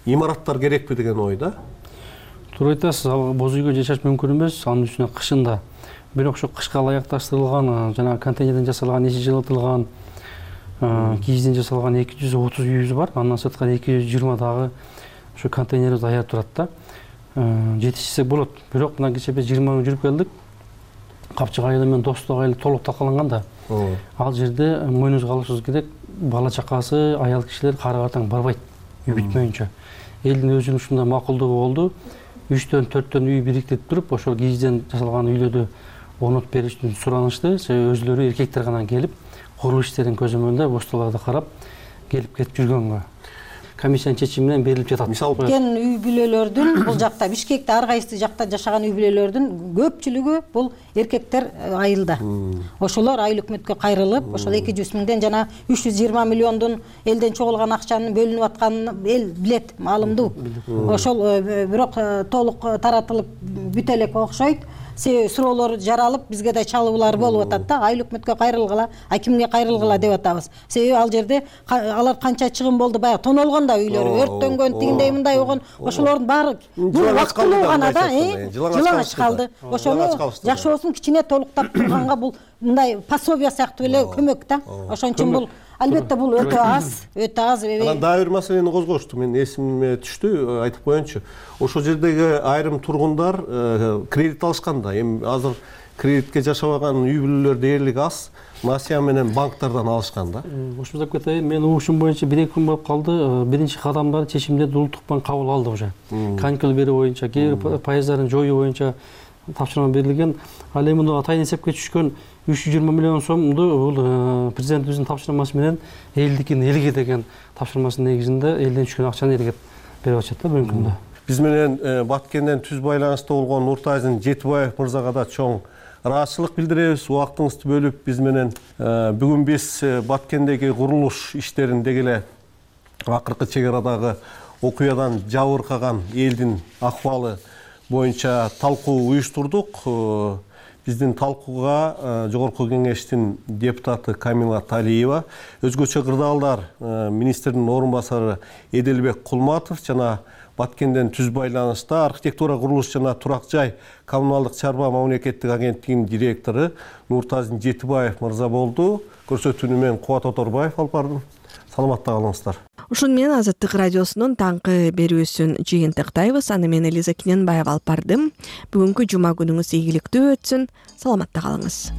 имараттар керекпи деген ой да. Туура айтасыз, ал боз үйгө жашаш мүмкүн эмес, анын үстүнө кышында. Бирок ошо кышка ылайыкташтырылган, жана контейнерден жасалган, ичи жылытылган, кийизден жасалган эки жүз отуз үйүбүз бар. Андан сырткары эки жүз жыйырма дагы ошо контейнерибиз даяр турат да. Жетишсек болот. Бирок мына кечээ биз жыйырма күн жүрүп келдик. Капчык айылы менен Достук айылы толук талкаланган да. Ал жерде мойнубузга алышыбыз керек, бала чакасы, аял кишилер кары картаң барбайт үй бүтмөйүнчө. Элдин өзүнүн ушундай макулдугу болду. үчтөн төрттөн үй бириктирип туруп, ошол кийизден жасалган үйлөрдү орнотуп бериш үчүн суранышты. Себеби өзүлөрү эркектер гана келип, курулуш иштерин көзөмөлдөп, остолорду карап, келип кетип жүргөнгө. Комиссиянын чечими менен берилип жатат. Мисалы кен үй бүлөлөрдүн бул жакта Бишкекте ар кайсы жакта жашаган үй бүлөлөрдүн көпчүлүгү бул эркектер айылда. Ошолор айыл өкмөткө кайрылып, ошол эки жүз миңден жана үч жүз жыйырма миллиондун элден чогулган акчанын бөлүнүп атканын эл билет, маалымдуу. Ошол бирок толук таратылып бүтө элек окшойт. Себеби суроолор жаралып, бизге да чалуулар болуп атат да. Айыл өкмөткө кайрылгыла, акимге кайрылгыла деп атабыз. Себеби ал жерде алар канча чыгым болду, баягы тонолгон да үйлөрү, өрттөнгөн, тигиндей мындай болгон, ошолордун баары бул вакыттуу гана да, жылаңач калды. Ошону жакшы болсун кичине толуктап турганга бул мындай пособие сыяктуу эле көмөк да. Ошон үчүн бул албетте бул өтө аз, өтө аз. Анан дагы бир маселени козгошту, мен эсиме түштү, айтып коеюнчу. Ошол жердеги айрым тургундар кредит алышкан да. Эми азыр кредитке жашабаган үй бүлөлөр дээрлик аз, насыя менен банктардан алышкан да. Ошондой кетейин, мен угушум боюнча бир эки күн болуп калды, биринчи кадамдарды чечимдерди улуттук банк кабыл алды уже. Каникул берүү боюнча, кээ бир пайыздарын жоюу боюнча тапшырма берилген. Ал эми мына атайын эсепке түшкөн үч жүз жыйырма миллион сомду бул президентибиздин тапшырмасы менен элдикин элге деген тапшырмасынын негизинде элден түшкөн акчаны элге берип атышат да бүгүнкү күндө. Биз менен Баткенден түз байланышта болгон Нуртайзин Жетибаев мырзага да чоң ыраазычылык билдиребиз. Убактыңызды бөлүп биз менен бүгүн биз Баткендеги курулуш иштерин деги эле акыркы чек арадагы окуядан жабыркаган элдин акыбалы боюнча талкуу уюштурдук. Биздин талкууга жогорку кеңештин депутаты Камила Талиева, өзгөчө кырдаалдар министрдин орун басары Эделбек Кулматов жана Баткенден түз байланышта архитектура, курулуш жана турак жай коммуналдык чарба мамлекеттик агенттигинин директору Нуртазин Жетибаев мырза болду. Көрсөтүүнү мен Кубат Оторбаев алып бардым. Саламатта калыңыздар. Ушун менен Азаттык радиосунун таңкы берүүсүн жыйынтыктайбыз. Аны мен Элиза Киненбаева алып бардым. Бүгүнкү жума күнүңүз ийгиликтүү өтсүн. Саламатта калыңыз.